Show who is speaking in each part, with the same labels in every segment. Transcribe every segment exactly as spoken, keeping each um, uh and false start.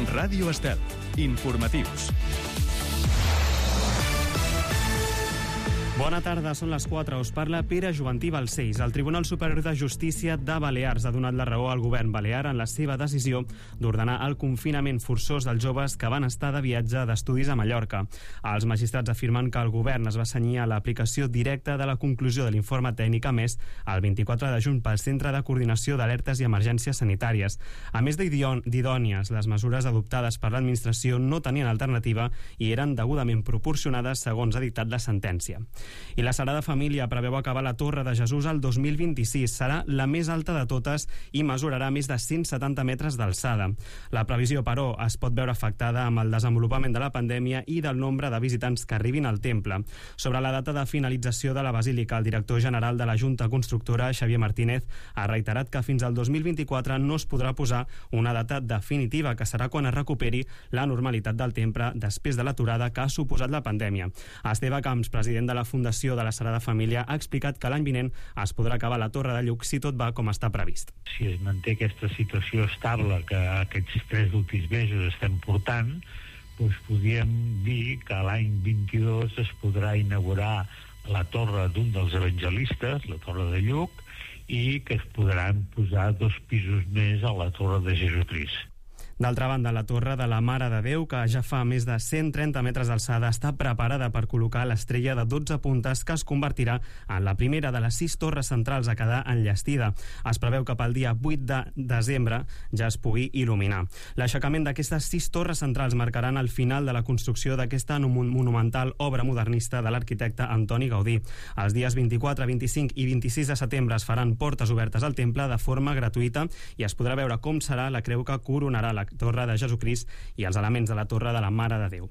Speaker 1: Ràdio Estel. Informatius.
Speaker 2: Bona tarda, són les quatre. Us parla Pere Juvantí Balcells. El Tribunal Superior de Justícia de Balears ha donat la raó al govern balear en la seva decisió d'ordenar el confinament forçós dels joves que van estar de viatge d'estudis a Mallorca. Els magistrats afirmen que el govern es va cenyir a l'aplicació directa de la conclusió de l'informe tècnic emès el vint-i-quatre de juny pel Centre de Coordinació d'Alertes i Emergències Sanitàries. A més d'idònies, les mesures adoptades per l'administració no tenien alternativa i eren degudament proporcionades segons ha dictat la sentència. I la Sagrada Família preveu acabar la Torre de Jesús el dos mil vint-i-sis. Serà la més alta de totes i mesurarà més de cent setanta metres d'alçada. La previsió, però, es pot veure afectada amb el desenvolupament de la pandèmia i del nombre de visitants que arribin al temple. Sobre la data de finalització de la Basílica, el director general de la Junta Constructora, Xavier Martínez, ha reiterat que fins al dos mil vint-i-quatre no es podrà posar una data definitiva, que serà quan es recuperi la normalitat del temple després de l'aturada que ha suposat la pandèmia. Esteve Camps, president de la Fundació de la Sagrada Família, ha explicat que l'any vinent es podrà acabar la Torre de Lluc si tot va com està previst.
Speaker 3: Si es manté aquesta situació estable que aquests tres últims mesos estem portant, doncs podríem dir que l'any vint-i-dos es podrà inaugurar la torre d'un dels evangelistes, la Torre de Lluc, i que es podran posar dos pisos més a la Torre de Jesucrist.
Speaker 2: D'altra banda, la Torre de la Mare de Déu, que ja fa més de cent trenta metres d'alçada, està preparada per col·locar l'estrella de dotze puntes que es convertirà en la primera de les sis torres centrals a quedar enllestida. Es preveu que pel dia vuit de desembre ja es pugui il·luminar. L'aixecament d'aquestes sis torres centrals marcaran el final de la construcció d'aquesta monumental obra modernista de l'arquitecte Antoni Gaudí. Els dies vint-i-quatre, vint-i-cinc i vint-i-sis de setembre es faran portes obertes al temple de forma gratuïta i es podrà veure com serà la creu que coronarà la Torre de Jesucrist i els elements de la Torre de la Mare de Déu.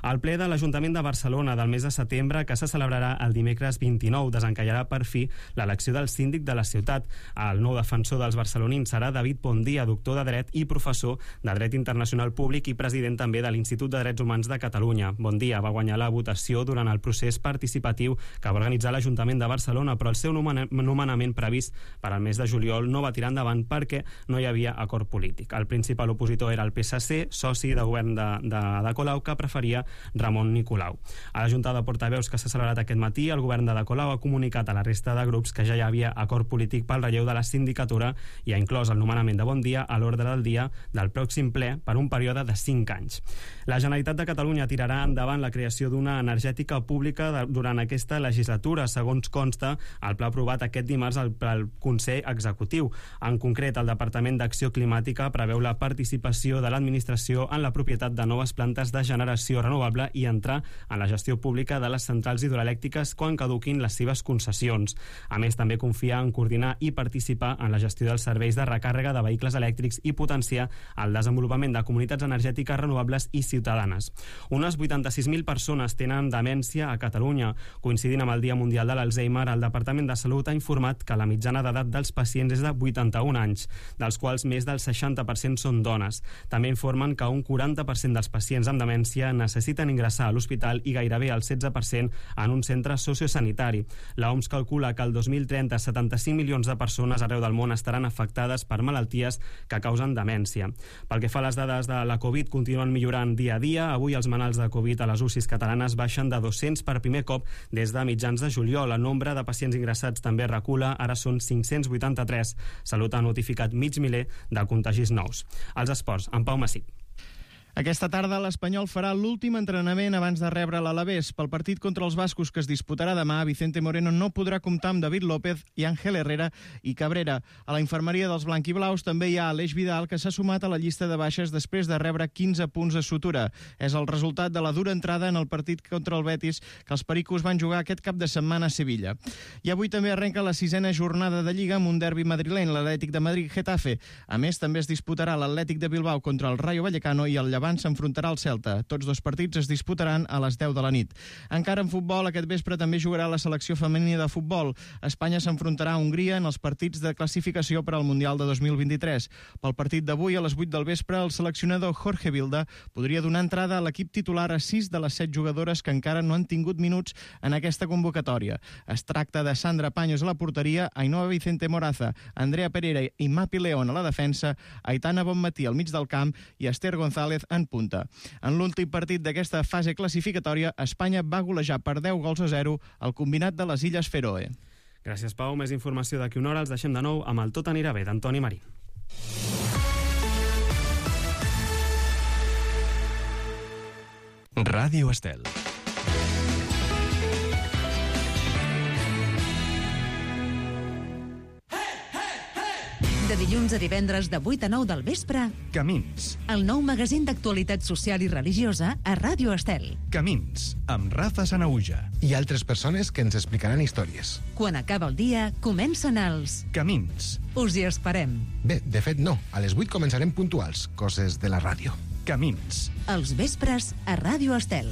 Speaker 2: El ple de l'Ajuntament de Barcelona del mes de setembre, que se celebrarà el dimecres vint-i-nou, desencallarà per fi l'elecció del síndic de la ciutat. El nou defensor dels barcelonins serà David Bondia, doctor de Dret i professor de Dret Internacional Públic i president també de l'Institut de Drets Humans de Catalunya. Bondia va guanyar la votació durant el procés participatiu que va organitzar l'Ajuntament de Barcelona, però el seu nomenament previst per al mes de juliol no va tirar endavant perquè no hi havia acord polític. El principal opositor era el P S C, soci de govern de, de, de Colau, que preferia Ramon Nicolau. A la Junta de Portaveus que s'ha celebrat aquest matí, el govern de Colau ha comunicat a la resta de grups que ja hi havia acord polític pel relleu de la sindicatura i ha inclòs el nomenament de Bondia a l'ordre del dia del pròxim ple per un període de cinc anys. La Generalitat de Catalunya tirarà endavant la creació d'una energètica pública de, durant aquesta legislatura, segons consta el pla aprovat aquest dimarts al, al Consell Executiu. En concret, el Departament d'Acció Climàtica preveu la participació de l'administració en la propietat de noves plantes de generació renovable i entrar en la gestió pública de les centrals hidroelèctriques quan caduquin les seves concessions. A més, també confia en coordinar i participar en la gestió dels serveis de recàrrega de vehicles elèctrics i potenciar el desenvolupament de comunitats energètiques renovables i ciutadanes. Unes vuitanta-sis mil persones tenen demència a Catalunya. Coincidint amb el Dia Mundial de l'Alzheimer, el Departament de Salut ha informat que la mitjana d'edat dels pacients és de vuitanta-un anys, dels quals més del seixanta per cent són dones. També informen que un quaranta per cent dels pacients amb demència necessiten ingressar a l'hospital i gairebé el setze per cent en un centre sociosanitari. L'O M S calcula que el dos mil trenta setanta-cinc milions de persones arreu del món estaran afectades per malalties que causen demència. Pel que fa a les dades de la Covid, continuen millorant dia a dia. Avui els malalts de Covid a les U C Is catalanes baixen de dos-cents per primer cop des de mitjans de juliol. El nombre de pacients ingressats també recula, ara són cinc-cents vuitanta-tres. Salut ha notificat mig miler de contagis nous. Els esports, en Pau Massip.
Speaker 4: Aquesta tarda l'Espanyol farà l'últim entrenament abans de rebre l'Alavés. Pel partit contra els bascos que es disputarà demà, Vicente Moreno no podrà comptar amb David López i Ángel Herrera i Cabrera. A la infermeria dels blanquiblaus també hi ha Aleix Vidal, que s'ha sumat a la llista de baixes després de rebre quinze punts de sutura. És el resultat de la dura entrada en el partit contra el Betis que els pericos van jugar aquest cap de setmana a Sevilla. I avui també arrenca la sisena jornada de Lliga amb un derbi madrileny, l'Atlètic de Madrid-Getafe. A més, també es disputarà l'Atlètic de Bilbao contra el Rayo Vallecano i el Llevant Vilafant s'enfrontarà al Celta. Tots dos partits es disputaran a les deu de la nit. Encara en futbol, aquest vespre també jugarà la selecció femenina de futbol. Espanya s'enfrontarà a Hongria en els partits de classificació per al Mundial de dos mil vint-i-tres. Pel partit d'avui, a les vuit del vespre, el seleccionador Jorge Vilda podria donar entrada a l'equip titular a sis de les set jugadores que encara no han tingut minuts en aquesta convocatòria. Es tracta de Sandra Paños a la porteria, Ainhoa Vicente Moraza, Andrea Pereira i Mapi León a la defensa, Aitana Bonmatí al mig del camp i Esther González en punta. En l'últim partit d'aquesta fase classificatòria, Espanya va golejar per deu gols a zero al combinat de les Illes Fèroe.
Speaker 2: Gràcies, Pau. Més informació d'aquí una hora. Els deixem de nou amb el Tot anirà bé, d'Antoni Marín.
Speaker 1: Ràdio Estel.
Speaker 5: De dilluns a divendres de vuit a nou del vespre,
Speaker 1: Camins.
Speaker 5: el nou magazín d'actualitat social i religiosa a Ràdio Estel.
Speaker 1: Camins, amb Rafa Sanauja.
Speaker 6: I altres persones que ens explicaran històries.
Speaker 5: Quan acaba el dia, comencen els...
Speaker 1: Camins.
Speaker 5: Us hi esperem.
Speaker 6: Bé, de fet no, a les vuit començarem puntuals, coses de la ràdio.
Speaker 1: Camins.
Speaker 5: Els vespres a Ràdio Estel.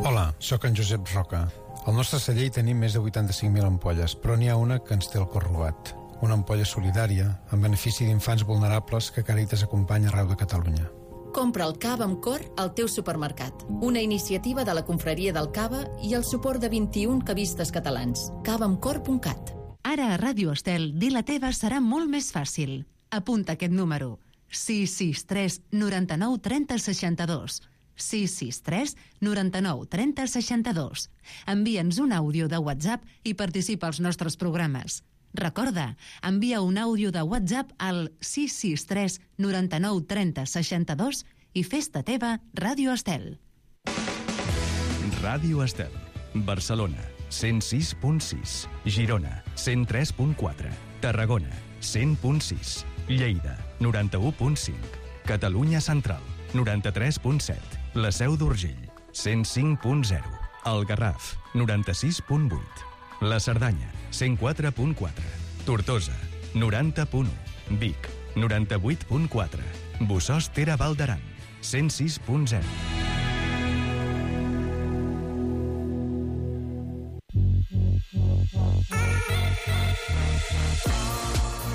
Speaker 7: Hola, sóc en Josep Roca. Al nostre celler hi tenim més de vuitanta-cinc mil ampolles, però n'hi ha una que ens té el cor robat. Una ampolla solidària, en benefici d'infants vulnerables que Càritas acompanya arreu de Catalunya.
Speaker 8: Compra el cava amb cor al teu supermercat. Una iniciativa de la Confraria del Cava i el suport de vint-i-un cavistes catalans. cava amb cor punt cat.
Speaker 5: Ara a Ràdio Estel, dir la teva serà molt més fàcil. Apunta aquest número. sis sis tres noranta-nou trenta seixanta-dos. sis sis tres noranta-nou trenta seixanta-dos. Envia'ns un àudio de WhatsApp i participa als nostres programes. Recorda, envia un àudio de WhatsApp al sis sis tres noranta-nou trenta seixanta-dos i fes-te teva Ràdio Estel.
Speaker 1: Ràdio Estel. Barcelona, cent sis punt sis. Girona, cent tres punt quatre. Tarragona, cent punt sis. Lleida, noranta-u punt cinc. Catalunya Central, noranta-tres punt set. La Seu d'Urgell, cent cinc punt zero. El Garraf, noranta-sis punt vuit. La Cerdanya, cent quatre punt quatre. Tortosa, noranta punt u. Vic, noranta-vuit punt quatre. Bossòst-Tere Val d'Aran, cent sis punt zero.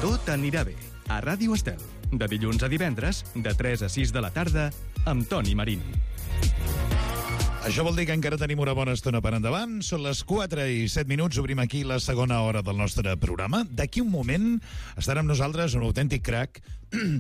Speaker 1: Tot anirà bé, a Ràdio Estel. De dilluns a divendres, de tres a sis de la tarda, amb Toni Marín.
Speaker 9: Això vol dir que encara tenim una bona estona per endavant. Són les quatre i set minuts. Obrim aquí la segona hora del nostre programa. D'aquí un moment estarà amb nosaltres un autèntic crac,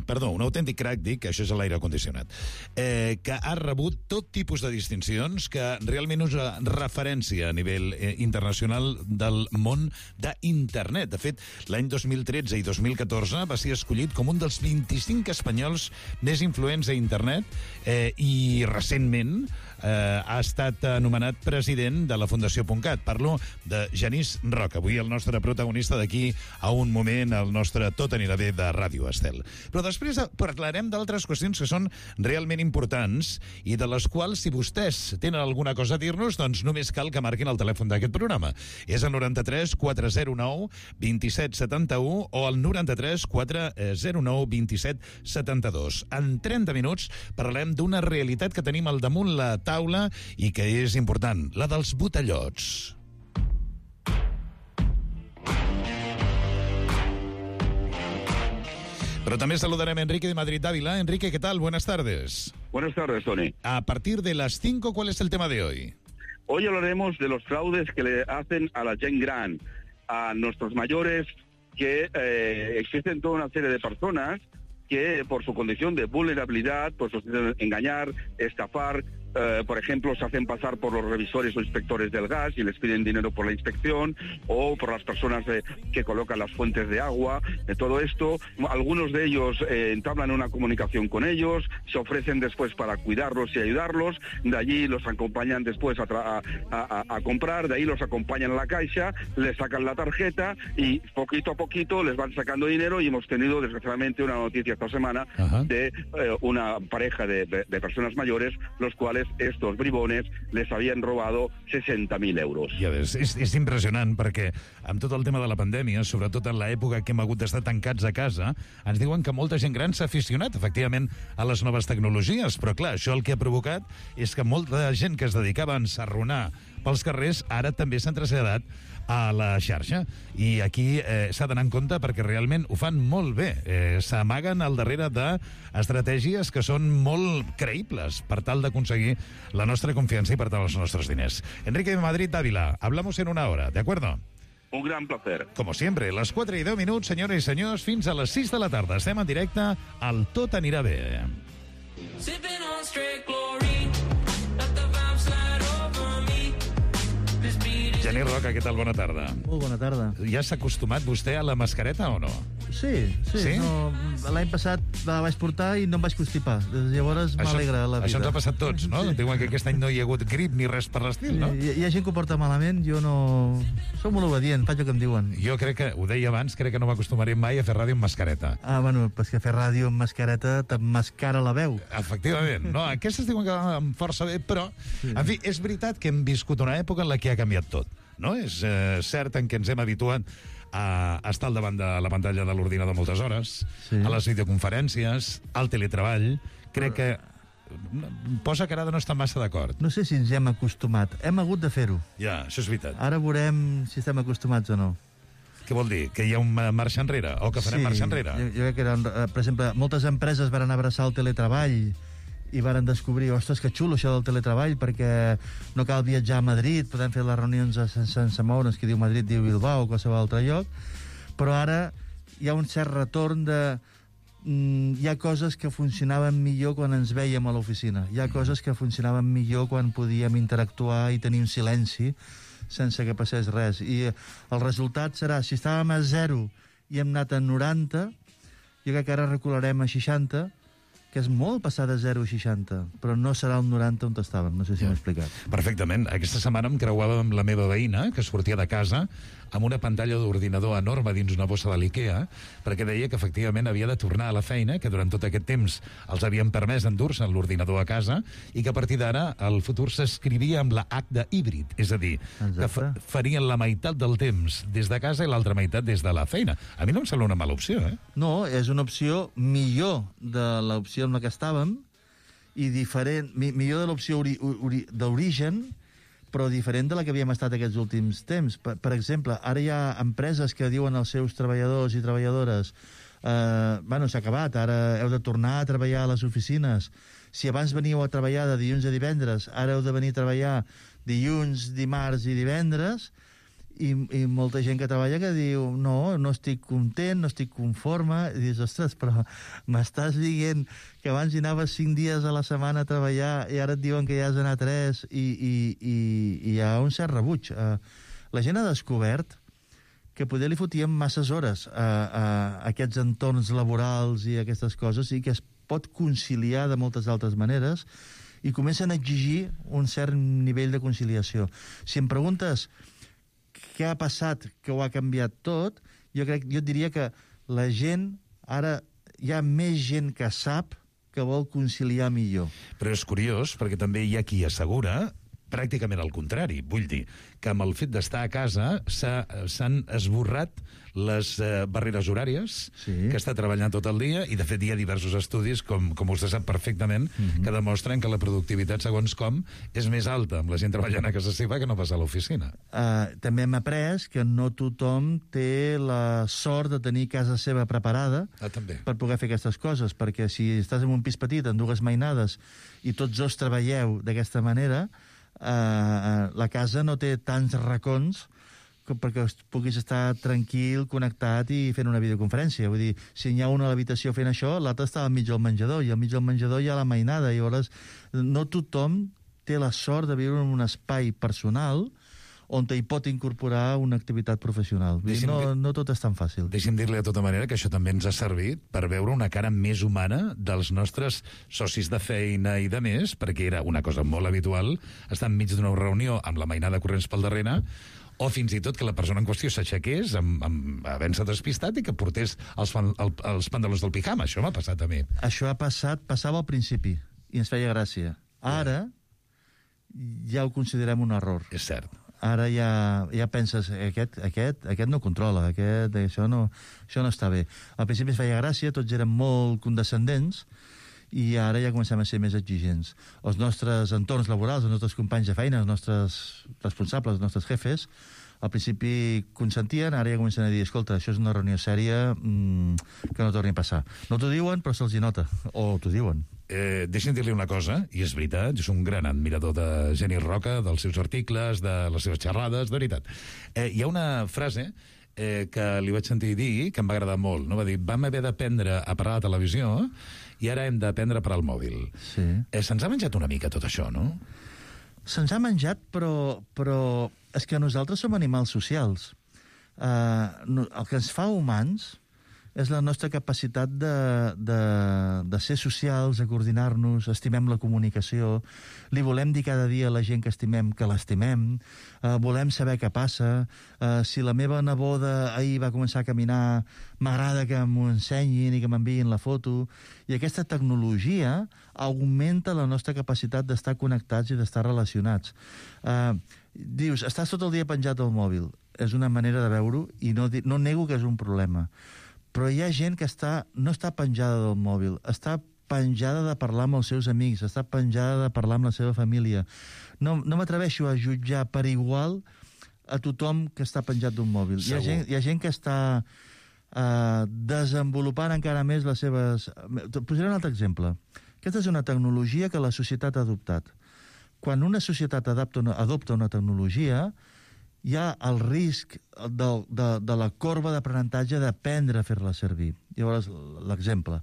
Speaker 9: perdó, un autèntic crac, dic, això és l'aire condicionat, eh, que ha rebut tot tipus de distincions, que realment és una referència a nivell eh, internacional del món d'internet. De fet, l'any dos mil tretze i dos mil catorze va ser escollit com un dels vint-i-cinc espanyols més influents a internet eh, i recentment eh, ha estat anomenat president de la Fundació .cat. Parlo de Genís Roca, avui el nostre protagonista d'aquí a un moment, el nostre Tot anirà bé de Ràdio Estel. Però després parlarem d'altres qüestions que són realment importants i de les quals, si vostès tenen alguna cosa a dir-nos, doncs només cal que marquin el telèfon d'aquest programa. És el noranta-tres quatre zero nou vint-i-set setanta-u o el noranta-tres quatre zero nou vint-i-set setanta-dos. En trenta minuts parlem d'una realitat que tenim al damunt la taula i que és important, la dels botellots. Pero también saludaremos a Enrique de Madrid Ávila. Enrique, ¿qué tal? Buenas tardes.
Speaker 10: Buenas tardes, Tony.
Speaker 9: A partir de las cinco, ¿cuál es el tema de hoy?
Speaker 10: Hoy hablaremos de los fraudes que le hacen a la gent gran, a nuestros mayores, que eh, existen toda una serie de personas que por su condición de vulnerabilidad, pues los engañar, estafar, eh, por ejemplo, se hacen pasar por los revisores o inspectores del gas y les piden dinero por la inspección, o por las personas eh, que colocan las fuentes de agua, de todo esto. Algunos de ellos eh, entablan una comunicación con ellos, se ofrecen después para cuidarlos y ayudarlos, de allí los acompañan después a, a, a, a comprar, de ahí los acompañan a la caixa, les sacan la tarjeta y poquito a poquito les van sacando dinero, y hemos tenido desgraciadamente una noticia esta semana Ajá. de eh, una pareja de, de, de personas mayores, los cuales antes estos bribones les habían robado sesenta mil euros.
Speaker 9: Ja ves, és, és impressionant perquè amb tot el tema de la pandèmia, sobretot en l'època que hem hagut d'estar tancats a casa, ens diuen que molta gent gran s'ha aficionat, efectivament, a les noves tecnologies, però clar, això el que ha provocat és que molta gent que es dedicava a ensarronar pels carrers ara també s'han traslladat a la xarxa. I aquí eh, s'ha d'anar en compte perquè realment ho fan molt bé. Eh, S'amaguen al darrere d'estratègies que són molt creïbles per tal d'aconseguir la nostra confiança i per tant els nostres diners. Enrique Madrid Dávila, hablamos en una hora, ¿de acuerdo?
Speaker 10: Un gran placer.
Speaker 9: Como siempre, les quatre i deu minuts, senyores i senyors, fins a les sis de la tarda. Estem en directe al Tot anirà bé. Sipping on straight glory, let the vibe slide over me. Genís Roca, què tal? Bona tarda.
Speaker 11: Molt bona tarda.
Speaker 9: Ja s'ha acostumat vostè a la mascareta o no?
Speaker 11: Sí, sí. sí? No, l'any passat la vaig portar i no em vaig constipar. Des de llavors m'alegra la vida.
Speaker 9: Això ens ha passat tots, no? Sí. Diuen que aquest any no hi ha hagut grip ni res per l'estil, no?
Speaker 11: Hi, hi ha gent que ho porta malament, jo no... Som molt obedient, faig el que em diuen.
Speaker 9: Jo crec que, ho deia abans, crec que no m'acostumaré mai a fer ràdio amb mascareta.
Speaker 11: Ah, bueno, pues que fer ràdio amb mascareta t'emmascara la veu.
Speaker 9: Efectivament. No, aquestes diuen que van força bé, però, sí. En fi, és veritat que hem viscut una època en la que ha canviat tot. No? És eh, cert en què ens hem habituat a estar al davant de la pantalla de l'ordinador moltes hores, sí. A les videoconferències, al teletreball. Crec que posa cara de no estar massa d'acord.
Speaker 11: No sé si ens hem acostumat. Hem hagut de fer-ho.
Speaker 9: Ja, això és veritat.
Speaker 11: Ara veurem si estem acostumats o no.
Speaker 9: Què vol dir? Que hi ha un marxa enrere? O que farem
Speaker 11: sí,
Speaker 9: marxa enrere?
Speaker 11: Jo, jo crec que, eren, per exemple, moltes empreses van abraçar el teletreball i varen descobrir, ostres, que xulo això del teletreball, perquè no cal viatjar a Madrid, podem fer les reunions sense, sense moure'ns, que diu Madrid, diu Bilbao o qualsevol altre lloc, però ara hi ha un cert retorn de... Mm, hi ha coses que funcionaven millor quan ens vèiem a l'oficina, hi ha coses que funcionaven millor quan podíem interactuar i tenir un silenci sense que passés res, i el resultat serà, si estàvem a zero i hem anat a noranta, jo crec que ara recularem a seixanta, que és molt passar de zero a seixanta, però no serà el noranta on estàvem, no sé si m'he explicat.
Speaker 9: Perfectament. Aquesta setmana em creuava amb la meva veïna, que sortia de casa amb una pantalla d'ordinador enorme dins una bossa de l'IKEA, perquè deia que efectivament havia de tornar a la feina, que durant tot aquest temps els havien permès endur-se l'ordinador a casa, i que a partir d'ara el futur s'escrivia amb la H de híbrid, és a dir, exacte, que fa farien la meitat del temps des de casa i l'altra meitat des de la feina. A mi no em sembla una mala opció, eh?
Speaker 11: No, és una opció millor de l'opció amb la que estàvem, i diferent, mi, millor de l'opció d'origen, però diferent de la que havíem estat aquests últims temps. Per, per exemple, ara hi ha empreses que diuen als seus treballadors i treballadores eh, bueno, s'ha acabat, ara heu de tornar a treballar a les oficines. Si abans veníeu a treballar de dilluns a divendres, ara heu de venir a treballar dilluns, dimarts i divendres, i, i molta gent que treballa que diu no, no estic content, no estic conforme, i dius, ostres, però m'estàs dient que abans hi anaves cinc dies a la setmana a treballar i ara et diuen que hi has d'anar tres, i, i, i, i hi ha un cert rebuig. Uh, la gent ha descobert que poder li fotíem masses hores a, a aquests entorns laborals i aquestes coses, i que es pot conciliar de moltes altres maneres, i comencen a exigir un cert nivell de conciliació. Si em preguntes què ha passat, que ho ha canviat tot, jo crec, jo et diria que la gent, ara hi ha més gent que sap que vol conciliar millor.
Speaker 9: Però és curiós, perquè també hi ha qui assegura pràcticament al contrari. Vull dir que amb el fet d'estar a casa s'han esborrat les eh, barreres horàries, sí, que està treballant tot el dia, i de fet hi ha diversos estudis, com, com vostè sap perfectament, mm-hmm, que demostren que la productivitat, segons com, és més alta amb la gent treballant a casa seva que no pas a l'oficina.
Speaker 11: Uh, també hem après que no tothom té la sort de tenir casa seva preparada
Speaker 9: ah, també.
Speaker 11: per poder fer aquestes coses, perquè si estàs en un pis petit, en dues mainades, i tots dos treballeu d'aquesta manera, Uh, la casa no té tants racons perquè puguis estar tranquil, connectat i fent una videoconferència. Vull dir, si hi ha una a l'habitació fent això, l'altre està al mig del menjador, i al mig del menjador hi ha la mainada, i llavors no tothom té la sort de viure en un espai personal on hi pot incorporar una activitat professional. Deixi'm, no, no tot és tan fàcil.
Speaker 9: Deixi'm dir-li de tota manera que això també ens ha servit per veure una cara més humana dels nostres socis de feina i de més, perquè era una cosa molt habitual estar enmig d'una reunió amb la mainada corrents pel darrere, o fins i tot que la persona en qüestió s'aixequés amb, amb havent-se despistat i que portés els, fan, el, els pantalons del pijama. Això m'ha passat a mi.
Speaker 11: Això ha passat, passava al principi, i ens feia gràcia. Ara ja ho considerem un error.
Speaker 9: És cert.
Speaker 11: Ara ja, ja penses, aquest, aquest, aquest no controla, aquest, això, no, això no està bé. Al principi es feia gràcia, tots eren molt condescendents, i ara ja comencem a ser més exigents. Els nostres entorns laborals, els nostres companys de feina, els nostres responsables, els nostres jefes, al principi consentien, ara ja comencen a dir, escolta, això és una reunió sèria, mmm, que no torni a passar. No t'ho diuen, però se'ls hi nota, o t'ho diuen.
Speaker 9: Eh, deixa'm dir-li una cosa, i és veritat, és un gran admirador de Genís Roca, dels seus articles, de les seves xerrades, de veritat. Eh, hi ha una frase eh, que li vaig sentir dir, que em va agradar molt, no? Va dir, vam haver d'aprendre a parlar de televisió i ara hem d'aprendre a parar el mòbil.
Speaker 11: Sí.
Speaker 9: Eh, se'ns ha menjat una mica tot això, no?
Speaker 11: Se'ns ha menjat, però, però és que nosaltres som animals socials. Uh, no, el que ens fa humans és la nostra capacitat de, de, de ser socials, de coordinar-nos, estimem la comunicació, li volem dir cada dia a la gent que estimem que l'estimem, uh, volem saber què passa, uh, si la meva neboda ahir va començar a caminar, m'agrada que m'ho ensenyin i que m'enviïn la foto, i aquesta tecnologia augmenta la nostra capacitat d'estar connectats i d'estar relacionats. Uh, dius, estàs tot el dia penjat al mòbil, és una manera de veure-ho, i no, no nego que és un problema. Però hi ha gent que està, no està penjada del mòbil, està penjada de parlar amb els seus amics, està penjada de parlar amb la seva família. No, no m'atreveixo a jutjar per igual a tothom que està penjat d'un mòbil. Hi ha, gent, hi ha gent que està uh, desenvolupant encara més les seves... Posaré un altre exemple. Aquesta és una tecnologia que la societat ha adoptat. Quan una societat adopta una, adopta una tecnologia, hi ha el risc de, de, de la corba d'aprenentatge d'aprendre a fer-la servir. Llavors, l'exemple.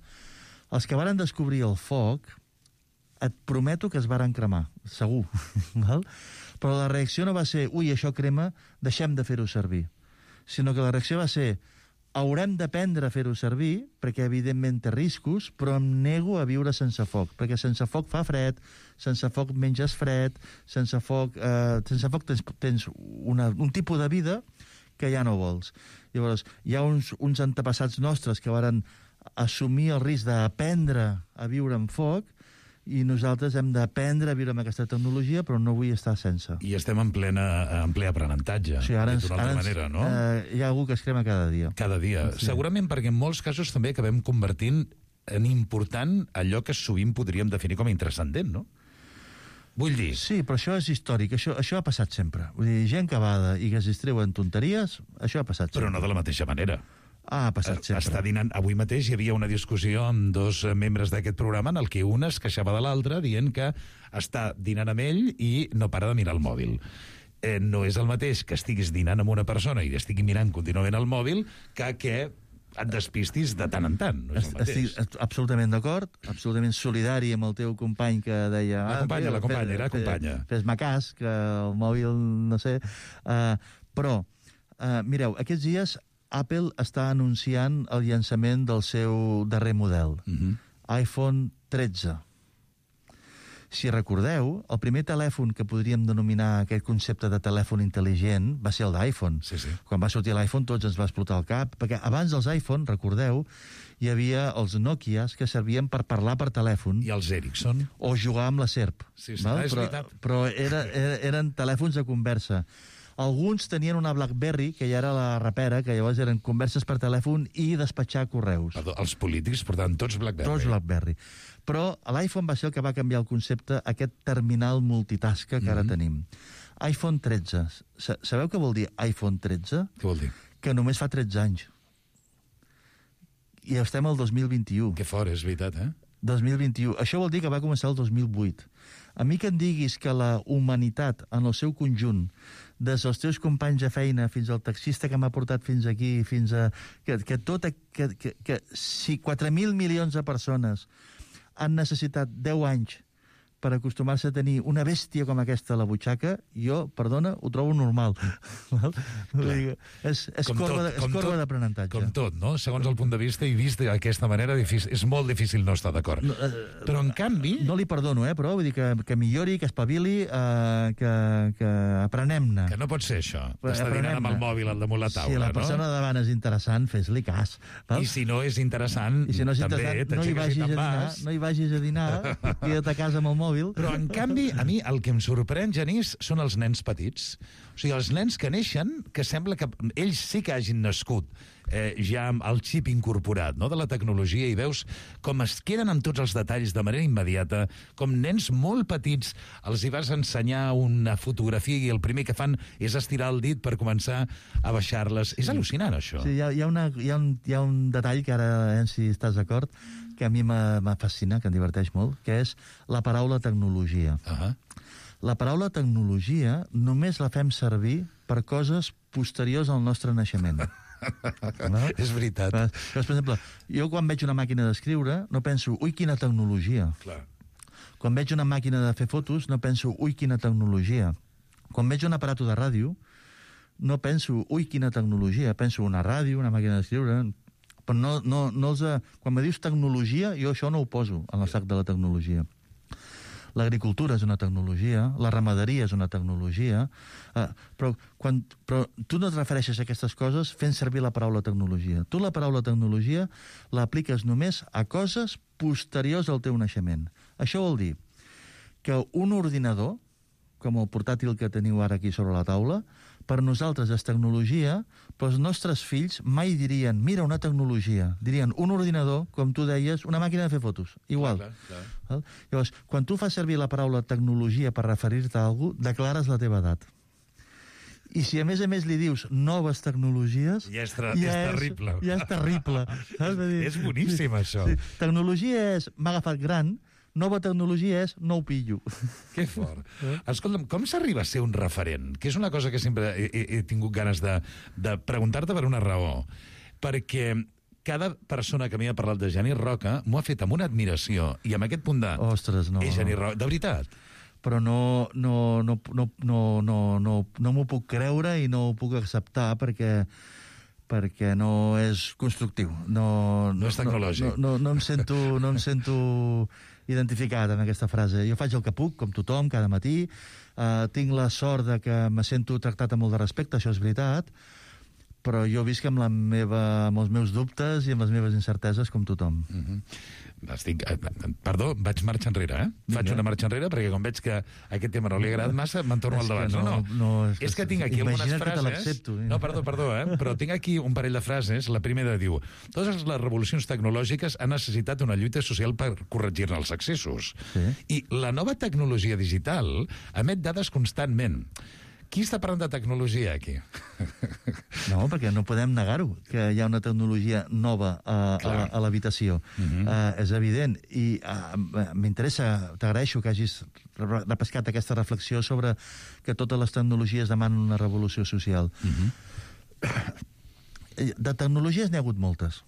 Speaker 11: Els que varen descobrir el foc, et prometo que es varen cremar, segur. Val? Però la reacció no va ser, ui, això crema, deixem de fer-ho servir. Sinó que la reacció va ser, haurem d'aprendre a fer-ho servir, perquè evidentment té riscos, però em nego a viure sense foc, perquè sense foc fa fred, sense foc menges fred, sense foc, eh, sense foc tens, tens una, un tipus de vida que ja no vols. Llavors, hi ha uns, uns antepassats nostres que varen assumir el risc d'aprendre a viure amb foc, i nosaltres hem d'aprendre a viure amb aquesta tecnologia, però no vull estar sense.
Speaker 9: I estem en, plena, en ple aprenentatge,
Speaker 11: sí, ara ens,
Speaker 9: d'una altra
Speaker 11: ara ens,
Speaker 9: manera, no?
Speaker 11: Eh, hi ha algú que es crema cada dia.
Speaker 9: Cada dia. Sí. Segurament perquè en molts casos també acabem convertint en important allò que sovint podríem definir com a intrascendent, no? Vull dir...
Speaker 11: Sí, però això és històric, això, això ha passat sempre. Vull dir, gent cavada i que es distreuen tonteries, això ha passat sempre.
Speaker 9: Però no de la mateixa manera.
Speaker 11: Ah, ha passat sempre.
Speaker 9: Està dinant... Avui mateix hi havia una discussió amb dos membres d'aquest programa en el que un es queixava de l'altre dient que està dinant amb ell i no para de mirar el mòbil. Eh, no és el mateix que estiguis dinant amb una persona i estigui mirant contínuament el mòbil que que et despistis de tant en tant. No és el mateix.
Speaker 11: Estic absolutament d'acord, absolutament solidari amb el teu company que deia...
Speaker 9: La companya, ah, la companya, era companya.
Speaker 11: Fes-me cas, que el mòbil, no sé... Uh, però, uh, mireu, aquests dies Apple està anunciant el llançament del seu darrer model, uh-huh. iPhone tretze. Si recordeu, el primer telèfon que podríem denominar aquest concepte de telèfon intel·ligent va ser el d'iPhone.
Speaker 9: Sí, sí.
Speaker 11: Quan va sortir l'iPhone tots ens va explotar el cap, perquè abans dels iPhone, recordeu, hi havia els Nokias que servien per parlar per telèfon.
Speaker 9: I els Ericsson.
Speaker 11: O jugar amb la serp.
Speaker 9: Sí, sí, val? És
Speaker 11: però,
Speaker 9: veritat.
Speaker 11: Però era, era, eren telèfons de conversa. Alguns tenien una BlackBerry, que ja era la rapera, que llavors eren converses per telèfon i despatxar correus.
Speaker 9: Perdó, els polítics portaven tots BlackBerry.
Speaker 11: Tots BlackBerry. Però l'iPhone va ser el que va canviar el concepte, aquest terminal multitasca que ara mm-hmm. tenim. iPhone tretze. Sabeu què vol dir iPhone tretze?
Speaker 9: Què vol dir?
Speaker 11: Que només fa tretze anys. I estem al dos mil vint-i-u.
Speaker 9: Que fort, és veritat, eh?
Speaker 11: dos mil vint-i-u. Això vol dir que va començar el dos mil vuit. A mi que em diguis que la humanitat, en el seu conjunt, des dels teus companys de feina fins al taxista que m'ha portat fins aquí, fins a... Que, que, tot, que, que, que si quatre mil milions de persones han necessitat deu anys per acostumar-se a tenir una bèstia com aquesta a la butxaca, jo, perdona, ho trobo normal. Dir, és és
Speaker 9: com
Speaker 11: corba,
Speaker 9: tot,
Speaker 11: de, és corba d'aprenentatge.
Speaker 9: Com tot, no? Segons el punt de vista i vist d'aquesta manera, difícil, és molt difícil no estar d'acord. No, uh, però, en canvi...
Speaker 11: No li perdono, eh, però vull dir que, que millori, que espavili, uh, que, que aprenem-ne.
Speaker 9: Que no pot ser això, d'estar dinant amb el mòbil al damunt la taula, no?
Speaker 11: Si la persona no? davant és interessant, fes-li cas. Val?
Speaker 9: I si no és interessant, I si no és
Speaker 11: també, no hi, vagis a dinar, no hi vagis a dinar, queda't a casa amb el mòbil. mòbil.
Speaker 9: Però, en canvi, a mi el que em sorprèn, Genís, són els nens petits. O sigui, els nens que neixen, que sembla que ells sí que hagin nascut eh, ja amb el xip incorporat, no?, de la tecnologia, i veus com es queden amb tots els detalls de manera immediata, com nens molt petits els hi vas ensenyar una fotografia i el primer que fan és estirar el dit per començar a baixar-les. És al·lucinant, això.
Speaker 11: Sí, hi ha, hi ha, una, hi ha, un, hi ha un detall que ara, eh, si estàs d'acord, que a mi me fascina, que em diverteix molt, que és la paraula tecnologia.
Speaker 9: Uh-huh.
Speaker 11: La paraula tecnologia només la fem servir per coses posteriors al nostre naixement.
Speaker 9: No? És veritat.
Speaker 11: Per, per exemple, jo quan veig una màquina d'escriure no penso, ui, quina tecnologia.
Speaker 9: Clar.
Speaker 11: Quan veig una màquina de fer fotos no penso, ui, quina tecnologia. Quan veig un aparato de ràdio no penso, ui, quina tecnologia. Penso una ràdio, una màquina d'escriure... Però no, no, no els... Quan me dius tecnologia, jo això no ho poso en el sac de la tecnologia. L'agricultura és una tecnologia, la ramaderia és una tecnologia, eh, però, quan, però tu no et refereixes a aquestes coses fent servir la paraula tecnologia. Tu la paraula tecnologia l'apliques només a coses posteriors al teu naixement. Això vol dir que un ordinador, com el portàtil que teniu ara aquí sobre la taula, per nosaltres és tecnologia, però els nostres fills mai dirien, mira, una tecnologia. Dirien, un ordinador, com tu deies, una màquina de fer fotos. Igual.
Speaker 9: Clar, clar, clar.
Speaker 11: Llavors, quan tu fas servir la paraula tecnologia per referir-te a algú, declares la teva edat. I si a més a més li dius noves tecnologies...
Speaker 9: Ja és, ja
Speaker 11: ja
Speaker 9: és terrible.
Speaker 11: Ja és terrible.
Speaker 9: és, és boníssim, això.
Speaker 11: Sí. Tecnologia és m'ha agafat gran, nova tecnologia és no ho pillo.
Speaker 9: Que fort. Escolta'm, com s'arriba a ser un referent? Que és una cosa que sempre he, he, he tingut ganes de, de preguntar-te per una raó. Perquè cada persona que m'hi ha parlat de Genís Roca m'ho ha fet amb una admiració i amb aquest punt de...
Speaker 11: Ostres, no.
Speaker 9: És Genís Roca, de veritat.
Speaker 11: Però no, no, no, no, no, no, no, no m'ho puc creure i no ho puc acceptar perquè perquè no és constructiu. No,
Speaker 9: no, no és tecnològic.
Speaker 11: No, no, no, em sento, no em sento identificat amb aquesta frase. Jo faig el que puc, com tothom, cada matí. Uh, tinc la sort de que me sento tractat amb molt de respecte, això és veritat, però jo visc amb, la meva, amb els meus dubtes i amb les meves incerteses com tothom.
Speaker 9: Mm-hmm. Estic, perdó, vaig marxa enrere, eh? Vinga. Faig una marxa enrere perquè com veig que aquest tema no li ha agradat massa, me'n torno al davant.
Speaker 11: No,
Speaker 9: no,
Speaker 11: no, no, és,
Speaker 9: és que tinc aquí algunes frases...
Speaker 11: Que
Speaker 9: no, perdó, perdó, eh? Però tinc aquí un parell de frases. La primera diu: totes les revolucions tecnològiques han necessitat una lluita social per corregir-ne els excessos.
Speaker 11: Sí.
Speaker 9: I la nova tecnologia digital emet dades constantment. Qui està parlant de tecnologia, aquí?
Speaker 11: No, perquè no podem negar-ho, que hi ha una tecnologia nova a, a, a l'habitació. Uh-huh. uh, és evident. I uh, m'interessa, t'agraeixo que hagis repescat aquesta reflexió sobre que totes les tecnologies demanen una revolució social. Uh-huh. De tecnologies n'hi ha hagut moltes,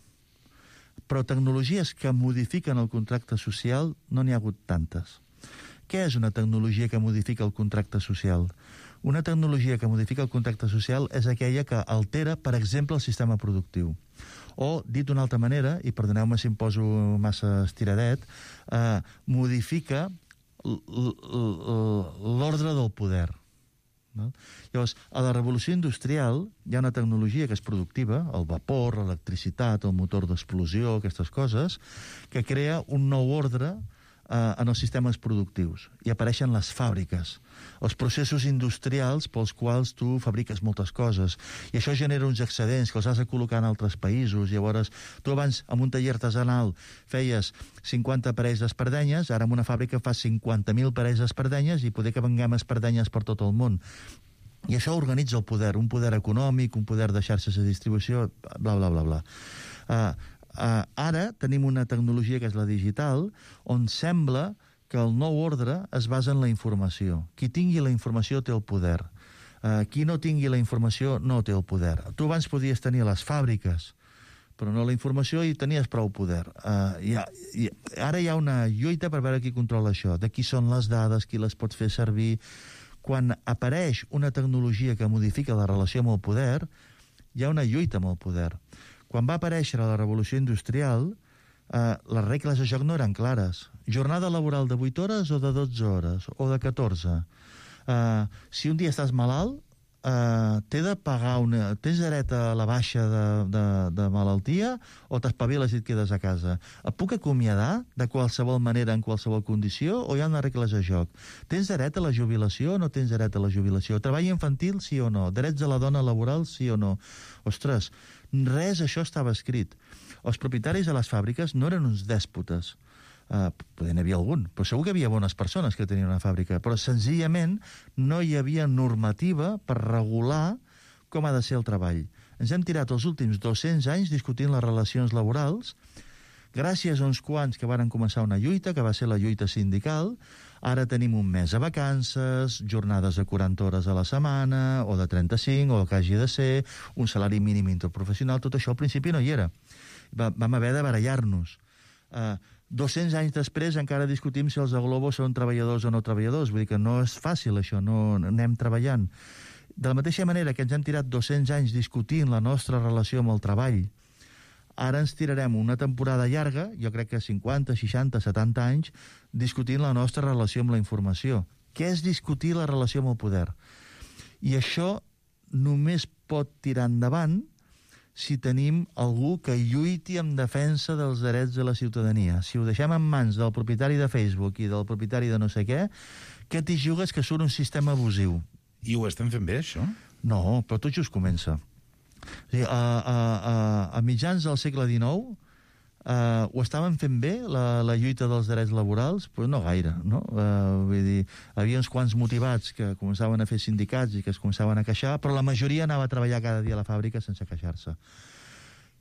Speaker 11: però tecnologies que modifiquen el contracte social no n'hi ha hagut tantes. Què és una tecnologia que modifica el contracte social? Una tecnologia que modifica el contracte social és aquella que altera, per exemple, el sistema productiu. O, dit d'una altra manera, i perdoneu-me si em poso massa estiradet, eh, modifica l'ordre del poder. No? Llavors, a la revolució industrial hi ha una tecnologia que és productiva, el vapor, l'electricitat, el motor d'explosió, aquestes coses, que crea un nou ordre Uh, en els sistemes productius, i apareixen les fàbriques, els processos industrials pels quals tu fabriques moltes coses, i això genera uns excedents que els has de col·locar en altres països. Llavors, tu abans amb un taller artesanal feies cinquanta parells d'espardenyes, ara en una fàbrica fas cinquanta mil parells d'espardenyes i poder que venguem espardenyes per tot el món. I això organitza el poder, un poder econòmic, un poder de xarxes de distribució, bla, bla, bla, bla. Uh, Uh, ara tenim una tecnologia que és la digital, on sembla que el nou ordre es basa en la informació. Qui tingui la informació té el poder. Uh, qui no tingui la informació no té el poder. Tu abans podies tenir les fàbriques, però no la informació, i tenies prou poder. Uh, hi ha, hi, ara hi ha una lluita per veure qui controla això, de qui són les dades, qui les pot fer servir. Quan apareix una tecnologia que modifica la relació amb el poder, hi ha una lluita amb el poder. Quan va aparèixer la revolució industrial, eh, les regles de joc no eren clares. Jornada laboral de vuit hores o de dotze hores, o de catorze. Eh, si un dia estàs malalt, Uh, t'he de pagar una... Tens dret a la baixa de, de, de malaltia o t'espaviles i et quedes a casa? Et puc acomiadar de qualsevol manera, en qualsevol condició, o hi ha unes regles de joc? Tens dret a la jubilació o no tens dret a la jubilació? Treball infantil, sí o no? Drets de la dona laboral, sí o no? Ostres, res això estava escrit. Els propietaris de les fàbriques no eren uns dèspotes. Uh, poder n'hi havia algun, però segur que hi havia bones persones que tenien una fàbrica, però senzillament no hi havia normativa per regular com ha de ser el treball. Ens hem tirat els últims dos-cents anys discutint les relacions laborals, gràcies a uns quants que varen començar una lluita, que va ser la lluita sindical. Ara tenim un mes de vacances, jornades de quaranta hores a la setmana, o de trenta-cinc, o el que hagi de ser, un salari mínim interprofessional. Tot això al principi no hi era. Va, vam haver de barallar-nos. Uh, dos-cents anys després encara discutim si els de Globo són treballadors o no treballadors. Vull dir que no és fàcil això, no anem treballant. De la mateixa manera que ens hem tirat dos-cents anys discutint la nostra relació amb el treball, ara ens tirarem una temporada llarga, jo crec que cinquanta, seixanta, setanta anys, discutint la nostra relació amb la informació. Què és discutir la relació amb el poder? I això només pot tirar endavant si tenim algú que lluiti en defensa dels drets de la ciutadania. Si ho deixem en mans del propietari de Facebook i del propietari de no sé què, què t'hi jugues que surt un sistema abusiu?
Speaker 9: I ho estem fent bé, això?
Speaker 11: No, però tot just comença. O sigui, a, a, a, a mitjans del segle dinou uh, ho estaven fent bé, la, la lluita dels drets laborals? Pues no gaire, no? Uh, vull dir, hi havia uns quants motivats que començaven a fer sindicats i que es començaven a queixar, però la majoria anava a treballar cada dia a la fàbrica sense queixar-se.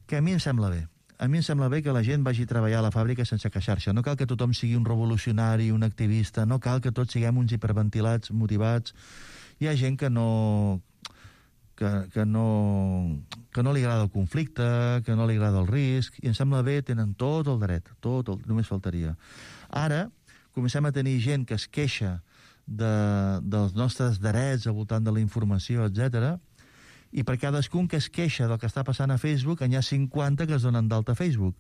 Speaker 11: Que a mi em sembla bé. A mi em sembla bé que la gent vagi a treballar a la fàbrica sense queixar-se. No cal que tothom sigui un revolucionari, un activista, no cal que tots siguem uns hiperventilats, motivats. Hi ha gent que no... Que, que, no, que no li agrada el conflicte, que no li agrada el risc, i em sembla bé, tenen tot el dret, tot, el, només faltaria. Ara comencem a tenir gent que es queixa de, dels nostres drets al voltant de la informació, etcètera, i per cadascun que es queixa del que està passant a Facebook, n'hi ha cinquanta que es donen d'alta a Facebook.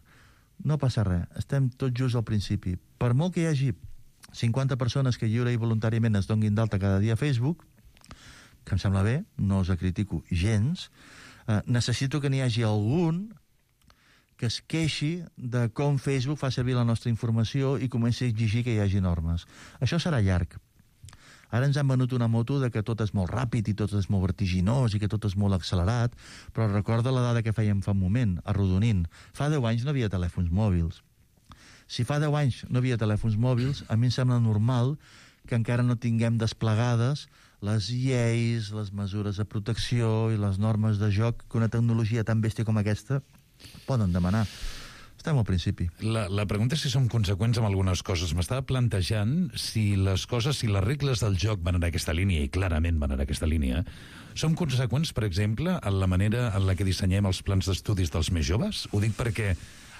Speaker 11: No passa res, estem tot just al principi. Per molt que hi hagi cinquanta persones que lliure i voluntàriament es donguin d'alta cada dia a Facebook, que em sembla bé, no us critico gens, eh, necessito que n'hi hagi algun que es queixi de com Facebook fa servir la nostra informació i comenci a exigir que hi hagi normes. Això serà llarg. Ara ens han venut una moto de que tot és molt ràpid i tot és molt vertiginós i que tot és molt accelerat, però recorda la dada que fèiem fa un moment, arrodonint. Fa deu anys no havia telèfons mòbils. Si fa deu anys no havia telèfons mòbils, a mi em sembla normal que encara no tinguem desplegades les lleis, les mesures de protecció i les normes de joc que una tecnologia tan bèstia com aquesta poden demanar. Estem al principi.
Speaker 9: La, la pregunta és si som conseqüents amb algunes coses. M'estava plantejant si les coses, si les regles del joc van en aquesta línia, i clarament van en aquesta línia, som conseqüents, per exemple, en la manera en la que dissenyem els plans d'estudis dels més joves? Ho dic perquè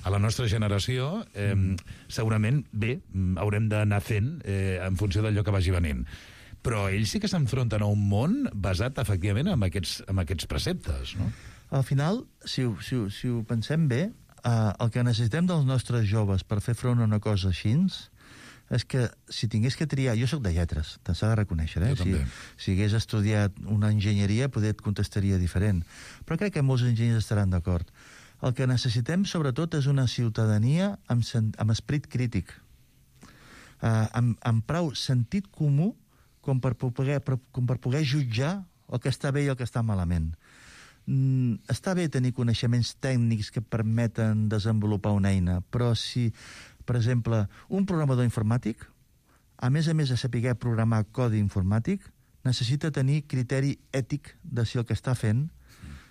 Speaker 9: a la nostra generació eh, segurament, bé, haurem d'anar fent eh, en funció d'allò que vagi venint. Però ells sí que s'enfronten a un món basat, efectivament, en aquests, en aquests preceptes, no?
Speaker 11: Al final, si ho, si ho, si ho pensem bé, eh, el que necessitem dels nostres joves per fer front a una cosa així és que si tingués que triar... Jo sóc de lletres, te s'ha de reconèixer, eh?
Speaker 9: Jo també.
Speaker 11: Si, si hagués estudiat una enginyeria, poder et contestaria diferent. Però crec que molts enginyers estaran d'acord. El que necessitem, sobretot, és una ciutadania amb, amb esperit crític, eh, amb, amb prou sentit comú com per, poder, com per poder jutjar el que està bé i el que està malament. Mm, està bé tenir coneixements tècnics que permeten desenvolupar una eina, però si, per exemple, un programador informàtic, a més a més de saber programar codi informàtic, necessita tenir criteri ètic de si el que està fent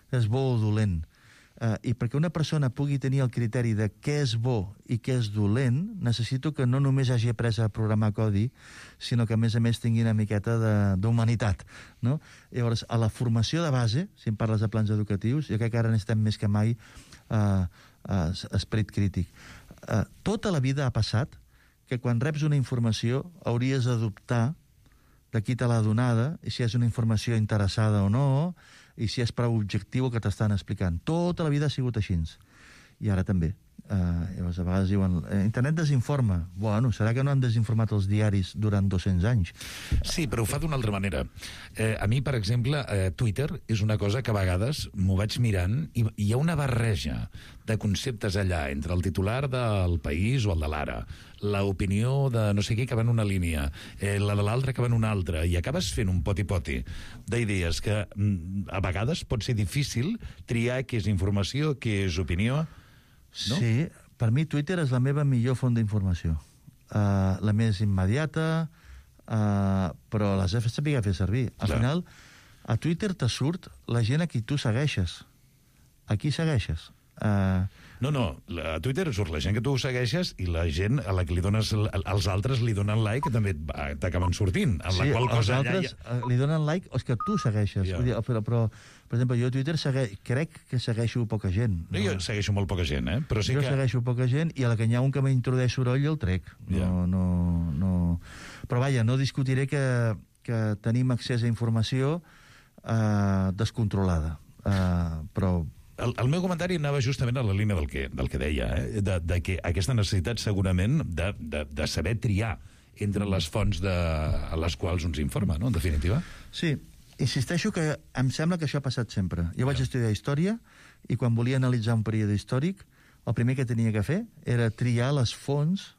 Speaker 11: és bo o dolent. Uh, I perquè una persona pugui tenir el criteri de què és bo i què és dolent, necessito que no només hagi après a programar codi, sinó que a més a més tingui una miqueta d'humanitat, no? Llavors, a la formació de base, si em parles de plans educatius, jo crec que ara necessitem més que mai uh, uh, esperit crític. Uh, tota la vida ha passat que quan reps una informació hauries de dubtar de qui te l'ha donada, i si és una informació interessada o no, i si és prou objectiu el que t'estan explicant. Tota la vida ha sigut així. I ara també. Uh, llavors, a vegades diuen, internet desinforma. Bueno, serà que no han desinformat els diaris durant dos-cents anys?
Speaker 9: Sí, però ho fa d'una altra manera. Eh, a mi, per exemple, eh, Twitter és una cosa que a vegades m'ho vaig mirant i hi ha una barreja de conceptes allà entre el titular del País o el de l'Ara, l'opinió de no sé què que va en una línia, eh, la de l'altra que va en una altra, i acabes fent un poti-poti d'idees que mm, a vegades pot ser difícil triar què és informació, què és opinió. No?
Speaker 11: Sí, per mi Twitter és la meva millor font d'informació. Uh, la més immediata, uh, però les he de saber fer servir. Al
Speaker 9: Clar.
Speaker 11: final, a Twitter te surt la gent a qui tu segueixes. A qui segueixes? Uh,
Speaker 9: No, no, a Twitter surt la gent que tu segueixes i la gent a la que li dones, els altres li donen like, que també t'acaben sortint. En
Speaker 11: sí,
Speaker 9: la qual
Speaker 11: els
Speaker 9: cosa
Speaker 11: altres
Speaker 9: allà...
Speaker 11: ja... li donen like els que tu segueixes.
Speaker 9: Ja.
Speaker 11: Vull dir, però, però, per exemple, jo a Twitter segue... crec que segueixo poca gent.
Speaker 9: No, jo segueixo molt poca gent, eh? Però sí
Speaker 11: jo
Speaker 9: que...
Speaker 11: segueixo poca gent i a la que hi ha un que m'introdueix soroll el trec. No,
Speaker 9: Ja.
Speaker 11: no, no... Però vaja, no discutiré que, que tenim accés a informació eh, descontrolada. Eh, però...
Speaker 9: El, el meu comentari anava justament a la línia del que, del que deia, eh? de, de que aquesta necessitat segurament de, de, de saber triar entre les fonts de, a les quals uns informa, no?, en definitiva.
Speaker 11: Sí, insisteixo que em sembla que això ha passat sempre. Jo vaig estudiar història i quan volia analitzar un període històric, el primer que tenia que fer era triar les fonts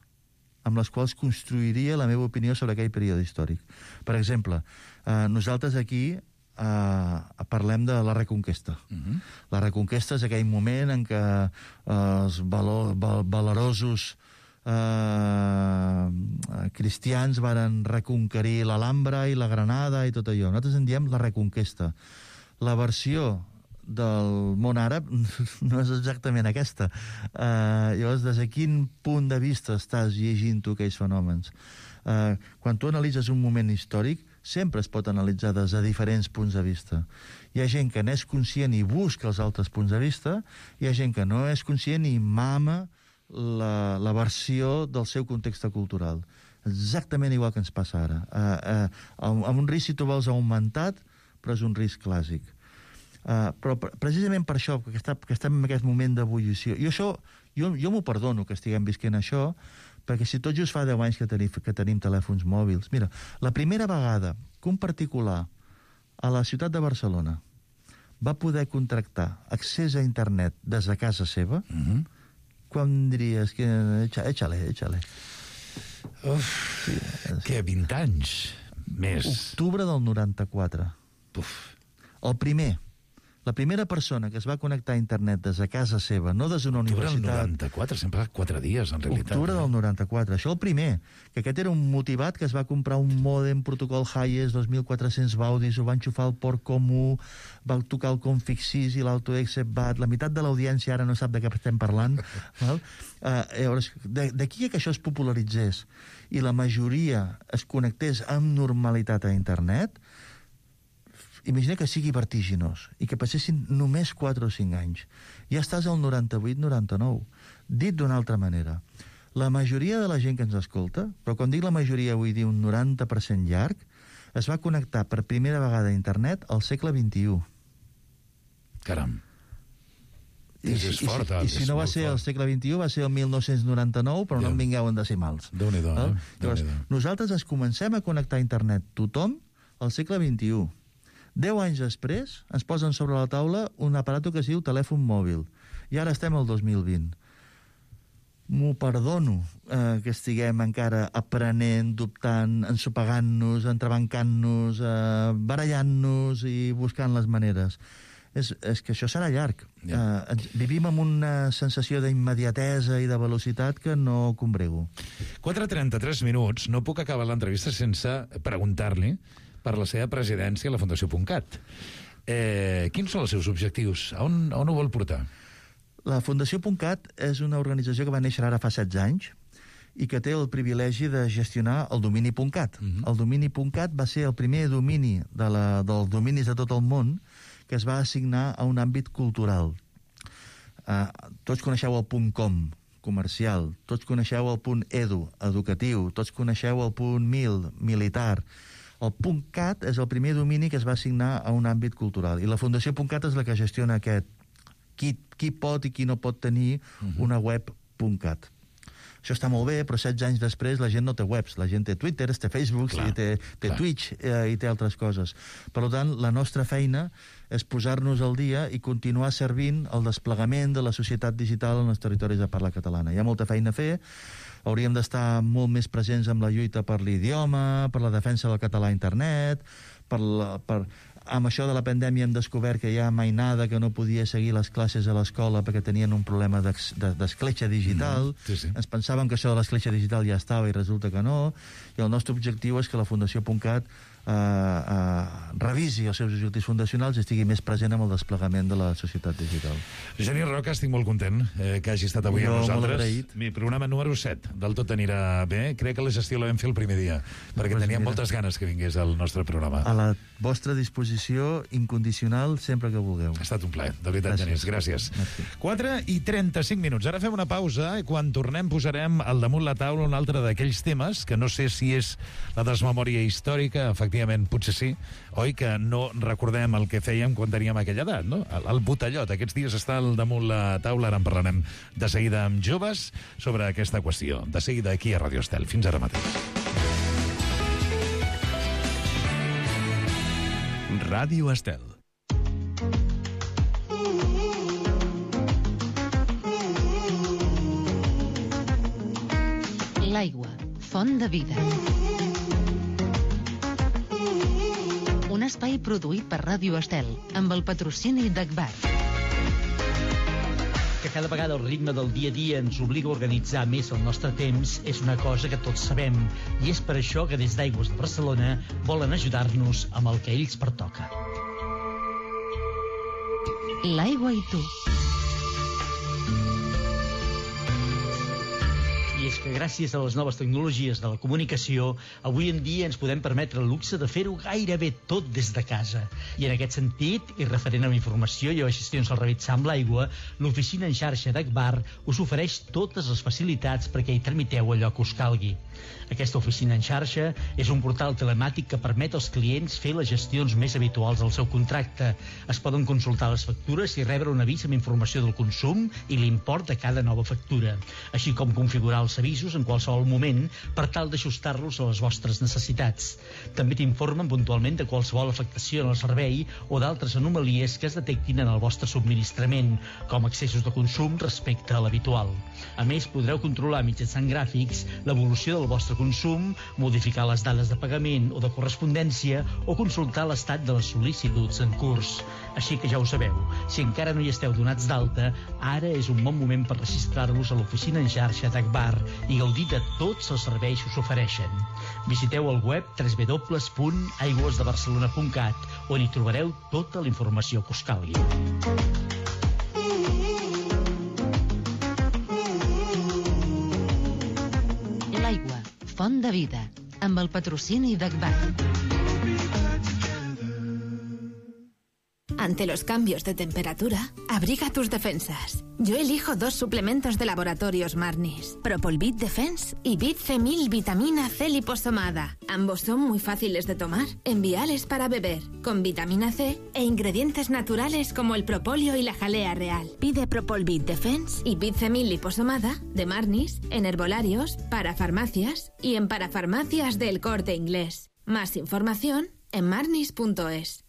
Speaker 11: amb les quals construiria la meva opinió sobre aquell període històric. Per exemple, eh, nosaltres aquí Uh, parlem de la Reconquesta. Uh-huh. La Reconquesta és aquell moment en què uh, els valor, val, valerosos uh, cristians varen reconquerir l'Alhambra i la Granada i tot allò. Nosaltres en diem la Reconquesta. La versió del món àrab no és exactament aquesta. Uh, llavors, des de quin punt de vista estàs llegint tu aquells fenòmens? Uh, quan tu analitzes un moment històric, sempre es pot analitzar des de diferents punts de vista. Hi ha gent que n'és conscient i busca els altres punts de vista, hi ha gent que no és conscient i mama la, la versió del seu context cultural. Exactament igual que ens passa ara. Uh, uh, amb un risc, si tu vols, augmentat, però és un risc clàssic. Uh, però precisament per això, que, està, que estem en aquest moment d'ebullició, i això, jo, jo m'ho perdono que estiguem visquent això, perquè si tot just fa deu anys que tenim, que tenim telèfons mòbils... Mira, la primera vegada que un particular a la ciutat de Barcelona va poder contractar accés a internet des de casa seva, uh-huh. quan diries que... Échale, échale.
Speaker 9: Uf, sí, és... que vint anys més.
Speaker 11: Octubre del noranta-quatre.
Speaker 9: Uf. El
Speaker 11: primer... La primera persona que es va connectar a internet des de casa seva, no des d'una universitat...
Speaker 9: Octubre del noranta-quatre, sempre fa quatre dies, en realitat.
Speaker 11: Octubre del noranta-quatre, això el primer. Que aquest era un motivat que es va comprar un mòdem protocol Hayes dos mil quatre-cents baudis, ho va enxufar al port comú, va tocar el config sis i l'autoexec bat, la meitat de l'audiència ara no sap de què estem parlant. Val? Uh, llavors, d'aquí que això es popularitzés i la majoria es connectés amb normalitat a internet, imagina que sigui vertiginós i que passessin només quatre o cinc anys. Ja estàs al noranta-vuit noranta-nou. Dit d'una altra manera, la majoria de la gent que ens escolta, però quan dic la majoria vull dir un noranta per cent llarg, es va connectar per primera vegada a internet al segle vint-i-u.
Speaker 9: Caram.
Speaker 11: I, és, és fort, i, i, i si no va ser al segle vint-i-u, va ser el mil nou-cents noranta-nou, però ja. No en vingueu en decimals.
Speaker 9: Déu-n'hi-do, eh?
Speaker 11: Llavors, nosaltres ens comencem a connectar a internet tothom al segle vint-i-u. Deu anys després ens posen sobre la taula un aparato que es diu telèfon mòbil. I ara estem al dos mil vint. M'ho perdono eh, que estiguem encara aprenent, dubtant, ensopegant-nos, entrebancant-nos, eh, barallant-nos i buscant les maneres. És, és que això serà llarg. Yeah. Eh, vivim amb una sensació d'immediatesa i de velocitat que no combrego.
Speaker 9: quatre trenta-tres minuts. No puc acabar l'entrevista sense preguntar-li per la seva presidència a la Fundació Puntcat. Eh, quins són els seus objectius? A on, a on ho vol portar?
Speaker 11: La Fundació Puntcat és una organització que va néixer ara fa setze anys i que té el privilegi de gestionar el domini Puntcat. Uh-huh. El domini Puntcat va ser el primer domini de la, dels dominis de tot el món que es va assignar a un àmbit cultural. Uh, tots coneixeu el .com, comercial, tots coneixeu el .edu, educatiu, tots coneixeu el .mil, militar. El .cat és el primer domini que es va assignar a un àmbit cultural i la Fundació Puntcat és la que gestiona aquest, qui, qui pot i qui no pot tenir uh-huh. una web punt cat. Això està molt bé, però setze anys després la gent no té webs. La gent té Twitter, té Facebook, clar, té, té clar. Twitch eh, i té altres coses. Per tant, la nostra feina és posar-nos al dia i continuar servint el desplegament de la societat digital en els territoris de parla catalana. Hi ha molta feina a fer, hauríem d'estar molt més presents amb la lluita per l'idioma, per la defensa del català a internet, per la, per... amb això de la pandèmia hem descobert que hi ha mainada que no podia seguir les classes a l'escola perquè tenien un problema d'escletxa digital. Mm, sí, sí. Ens pensàvem que això de l'escletxa digital ja estava i resulta que no. I el nostre objectiu és que la Fundació .cat Uh, uh, revisi els seus objectius fundacionals i estigui més present amb el desplegament de la societat digital.
Speaker 9: Genís Roca, estic molt content eh, que hagi estat avui
Speaker 11: jo,
Speaker 9: amb nosaltres. Mi programa número set, del tot anirà bé. Crec que la gestió la vam fer el primer dia, perquè pues teníem mira. moltes ganes que vingués al nostre programa.
Speaker 11: A la vostra disposició incondicional sempre que vulgueu.
Speaker 9: Ha estat un plaer, de veritat, Genís, gràcies. quatre i trenta-cinc minuts. Ara fem una pausa i quan tornem posarem al damunt la taula un altre d'aquells temes que no sé si és la desmemòria històrica, efectivament, potser sí, oi que no recordem el que fèiem quan teníem aquella edat, no? El, el botellot, aquests dies està al damunt la taula, ara en parlarem de seguida amb joves sobre aquesta qüestió. De seguida aquí a Radio Estel. Fins ara mateix.
Speaker 1: Ràdio Estel.
Speaker 5: L'aigua, font de vida. Un espai produït per Ràdio Estel, amb el patrocini d'Agbar.
Speaker 12: Que cada vegada el ritme del dia a dia ens obliga a organitzar més el nostre temps és una cosa que tots sabem, i és per això que des d'Aigües de Barcelona volen ajudar-nos amb el que a ells pertoca.
Speaker 5: L'aigua i tu.
Speaker 12: I és que gràcies a les noves tecnologies de la comunicació, avui en dia ens podem permetre el luxe de fer-ho gairebé tot des de casa. I en aquest sentit, i referent a la informació i a les gestions al realitzar amb l'aigua, l'oficina en xarxa d'Agbar us ofereix totes les facilitats perquè hi tramiteu allò que us calgui. Aquesta oficina en xarxa és un portal telemàtic que permet als clients fer les gestions més habituals del seu contracte. Es poden consultar les factures i rebre un avís amb informació del consum i l'import de cada nova factura, així com configurar els avisos en qualsevol moment per tal d'ajustar-los a les vostres necessitats. També t'informen puntualment de qualsevol afectació en el servei o d'altres anomalies que es detectin en el vostre subministrament, com excessos de consum respecte a l'habitual. A més, podreu controlar mitjançant gràfics l'evolució del vostre consum, modificar les dades de pagament o de correspondència o consultar l'estat de les sol·licituds en curs. Així que ja ho sabeu, si encara no hi esteu donats d'alta, ara és un bon moment per registrar-vos a l'oficina en xarxa d'Agbar i gaudir de tots els serveis que us ofereixen. Visiteu el web w w w punt aigües de barcelona punt cat on hi trobareu tota la informació que us calgui.
Speaker 5: L'aigua, font de vida, amb el patrocini d'Agbar.
Speaker 13: Ante los cambios de temperatura, abriga tus defensas. Yo elijo dos suplementos de laboratorios Marnis, Propolvit Defense y Bit C mil Vitamina C liposomada. Ambos son muy fáciles de tomar, enviales para beber, con vitamina C e ingredientes naturales como el propóleo y la jalea real. Pide Propolvit Defense y Bit C mil liposomada de Marnis en herbolarios, parafarmacias y en parafarmacias del Corte Inglés. Más información en marnis punto es.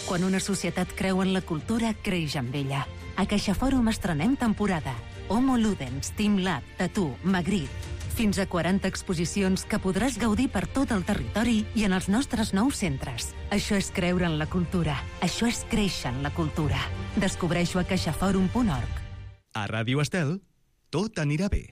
Speaker 5: Quan una societat creu en la cultura, creix amb ella. A CaixaFòrum estrenem temporada. Homo Ludens, Team Lab, Tattoo, Magritte. Fins a quaranta exposicions que podràs gaudir per tot el territori i en els nostres nous centres. Això és creure en la cultura. Això és créixer en la cultura. Descobreix-ho a caixaforum punt org.
Speaker 1: A Ràdio Estel, tot anirà bé.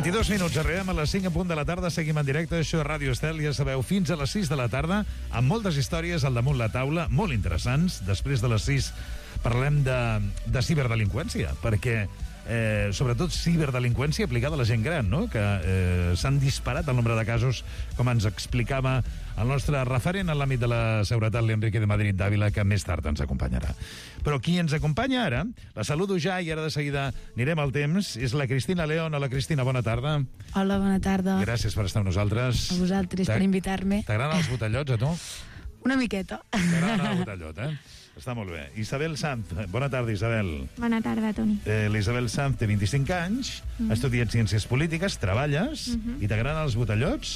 Speaker 9: vint-i-dos minuts, arribem a les cinc en punt de la tarda, seguim en directe, això és Ràdio Estel, ja sabeu, fins a les sis de la tarda, amb moltes històries al damunt la taula, molt interessants. Després de les sis parlem de, de ciberdelinqüència, perquè eh, sobretot ciberdelinqüència aplicada a la gent gran, no? Que eh, s'han disparat el nombre de casos, com ens explicava el nostre referent en l'àmbit de la seguretat, l'Enrique de Madrid d'Àvila, que més tard ens acompanyarà. Però qui ens acompanya ara, la saludo ja i ara de seguida anirem al temps, és la Cristina León. Hola, Cristina, bona tarda.
Speaker 14: Hola, bona tarda.
Speaker 9: Gràcies per estar amb nosaltres.
Speaker 14: A vosaltres per invitar-me.
Speaker 9: T'agraden els botellots, a tu?
Speaker 14: Una miqueta.
Speaker 9: T'agrada el botellot, eh? Està molt bé. Isabel Sanz, bona tarda, Isabel.
Speaker 15: Bona tarda, Toni.
Speaker 9: Eh, L'Isabel Sanz té vint-i-cinc anys, mm. ha estudiat Ciències Polítiques, treballes, mm-hmm. i t'agraden els botellots?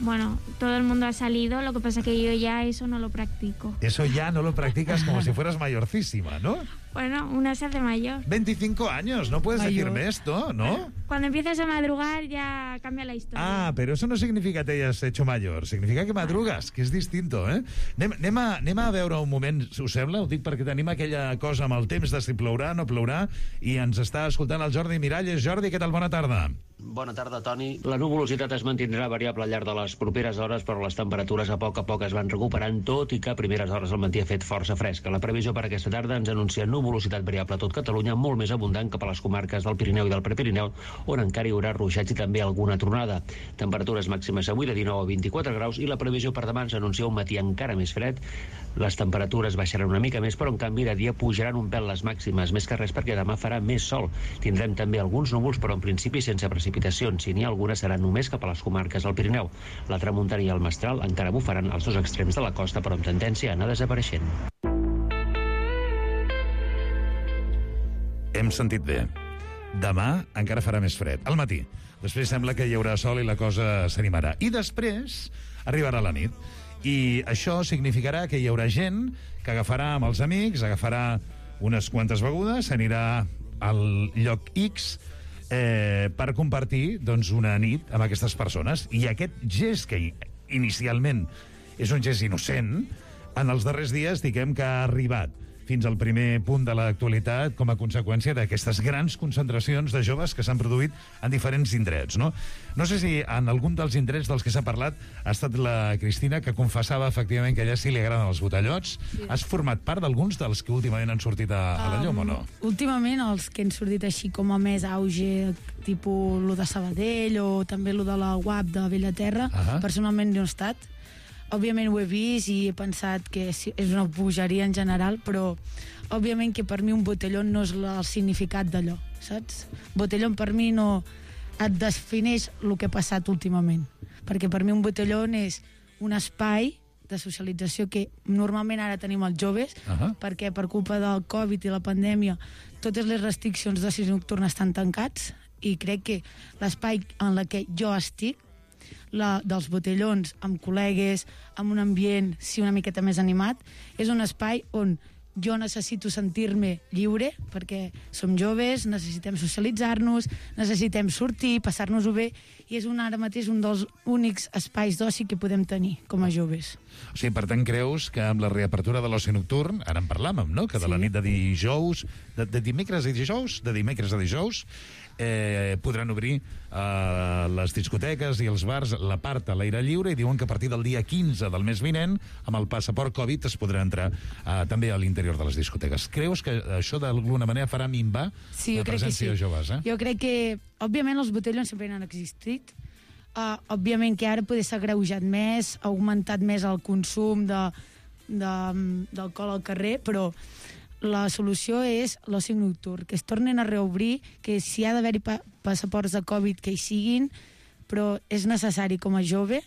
Speaker 15: Bueno, todo el mundo ha salido, lo que pasa que yo ya eso no lo practico.
Speaker 9: Eso ya no lo practicas como si fueras mayorcísima, ¿no?
Speaker 15: Bueno, una se hace mayor.
Speaker 9: veinticinco años, no puedes
Speaker 15: Mayor.
Speaker 9: decirme esto, ¿no?
Speaker 15: Bueno, cuando empiezas a madrugar ya cambia la historia.
Speaker 9: Ah, pero eso no significa que te hayas hecho mayor, significa que madrugues, que és distinto, eh? Anem, anem, a, anem a veure un moment, us sembla? Ho dic perquè tenim aquella cosa amb el temps de si plourà, no plourà, i ens està escoltant el Jordi Miralles. Jordi, què tal? Bona tarda.
Speaker 16: Bona tarda, Toni. La nuvolositat es mantindrà variable al llarg de les properes hores, però les temperatures a poc a poc es van recuperant, tot i que a primeres hores el matí ha fet força fresca. La previsió per aquesta tarda ens anuncia nuvolositat variable a tot Catalunya, molt més abundant cap a les comarques del Pirineu i del Prepirineu, on encara hi haurà ruixats i també alguna tronada. Temperatures màximes avui de dinou a vint-i-quatre graus i la previsió per demà ens anuncia un matí encara més fred. Les temperatures baixaran una mica més, però en canvi de dia pujaran un pèl les màximes, més que res perquè demà farà més sol. Tindrem també alguns núvols, però en principi sense precipitacions. Si n'hi ha alguna, seran només cap a les comarques del Pirineu. La tramuntana i el mestral encara bufaran als dos extrems de la costa, però amb tendència a anar desapareixent.
Speaker 9: Hem sentit bé. Demà encara farà més fred. Al matí. Després sembla que hi haurà sol i la cosa s'animarà. I després arribarà la nit. I això significarà que hi haurà gent que agafarà amb els amics, agafarà unes quantes begudes, s'anirà al lloc X eh, per compartir doncs, una nit amb aquestes persones. I aquest gest que inicialment és un gest innocent, en els darrers dies diguem que ha arribat fins al primer punt de l'actualitat com a conseqüència d'aquestes grans concentracions de joves que s'han produït en diferents indrets, no? No sé si en algun dels indrets dels que s'ha parlat ha estat la Cristina, que confessava efectivament que a ella sí li agraden els botellots. Sí. Has format part d'alguns dels que últimament han sortit a, a la llum, um, o no?
Speaker 14: Últimament els que han sortit així com a més auge, tipus lo de Sabadell o també lo de la U A P de Bellaterra, uh-huh. personalment no he estat. Òbviament ho he vist i he pensat que és una bogeria en general, però òbviament que per mi un botelló no és el significat d'allò, saps? Botelló per mi no et defineix el que ha passat últimament, perquè per mi un botelló és un espai de socialització que normalment ara tenim els joves, uh-huh. perquè per culpa del Covid i la pandèmia totes les restriccions d'oci nocturn estan tancats, i crec que l'espai en el que jo estic, la dels botellons, amb col·legues, amb un ambient, sí, una miqueta més animat, és un espai on jo necessito sentir-me lliure, perquè som joves, necessitem socialitzar-nos, necessitem sortir, passar-nos-ho bé, i és un, ara mateix un dels únics espais d'oci que podem tenir com a joves.
Speaker 9: O sigui, per tant, creus que amb la reapertura de l'oci nocturn, ara en parlàvem, no?, que de sí. la nit de dijous, de, de dimecres a dijous, de dimecres a dijous, eh, podran obrir eh, les discoteques i els bars, la part a l'aire lliure, i diuen que a partir del dia quinze del mes vinent, amb el passaport Covid, es podrà entrar eh, també a l'interior de les discoteques. Creus que això d'alguna manera farà minvar
Speaker 14: sí,
Speaker 9: la presència
Speaker 14: sí.
Speaker 9: de joves? Eh?
Speaker 14: Jo crec que, òbviament, els botellons sempre han existit. Uh, òbviament que ara potser s'ha greujat més, ha augmentat més el consum de, de, d'alcohol al carrer, però la solució és l'oci nocturn, que es tornen a reobrir, que si ha d'haver-hi pa passaports de Covid que hi siguin, però és necessari com a jove,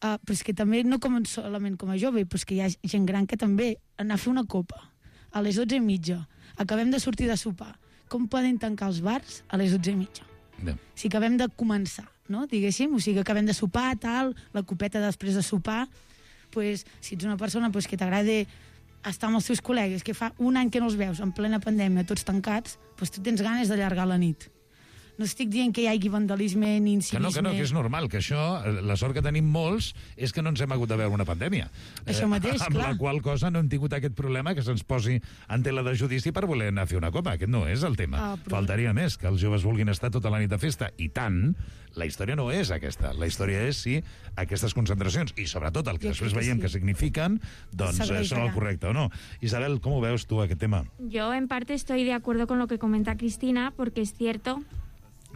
Speaker 14: uh, però és que també no com solament com a jove, però és que hi ha gent gran que també anar a fer una copa a les dotze i mitja, acabem de sortir de sopar, com poden tancar els bars a les dotze i mitja? No. Si acabem de començar, no? Diguéssim, o sigui, acabem de sopar, tal, la copeta després de sopar, pues, si ets una persona pues, que t'agrada estar amb els teus col·legues, que fa un any que no els veus, en plena pandèmia, tots tancats, pues, tu tens ganes d'allargar la nit. no estic dient que hi hagi vandalisme ni incivisme.
Speaker 9: Que no, que no, que és normal, que això, la sort que tenim molts és que no ens hem hagut de veure una pandèmia.
Speaker 14: Això mateix,
Speaker 9: eh, amb
Speaker 14: clar.
Speaker 9: la qual cosa no hem tingut aquest problema que se'ns posi en tela de judici per voler anar a fer una copa. Aquest no és el tema.
Speaker 14: Ah, però...
Speaker 9: Faltaria més, que els joves vulguin estar tota la nit de festa. I tant, la història no és aquesta. La història és si aquestes concentracions, i sobretot el que
Speaker 15: Jo
Speaker 9: després
Speaker 15: crec que
Speaker 9: veiem
Speaker 15: sí.
Speaker 9: que significan, doncs eh, són el correcte o no. Isabel, ¿cómo veus tú aquest tema?
Speaker 15: Yo en parte estoy de acuerdo con lo que comenta Cristina, porque es cierto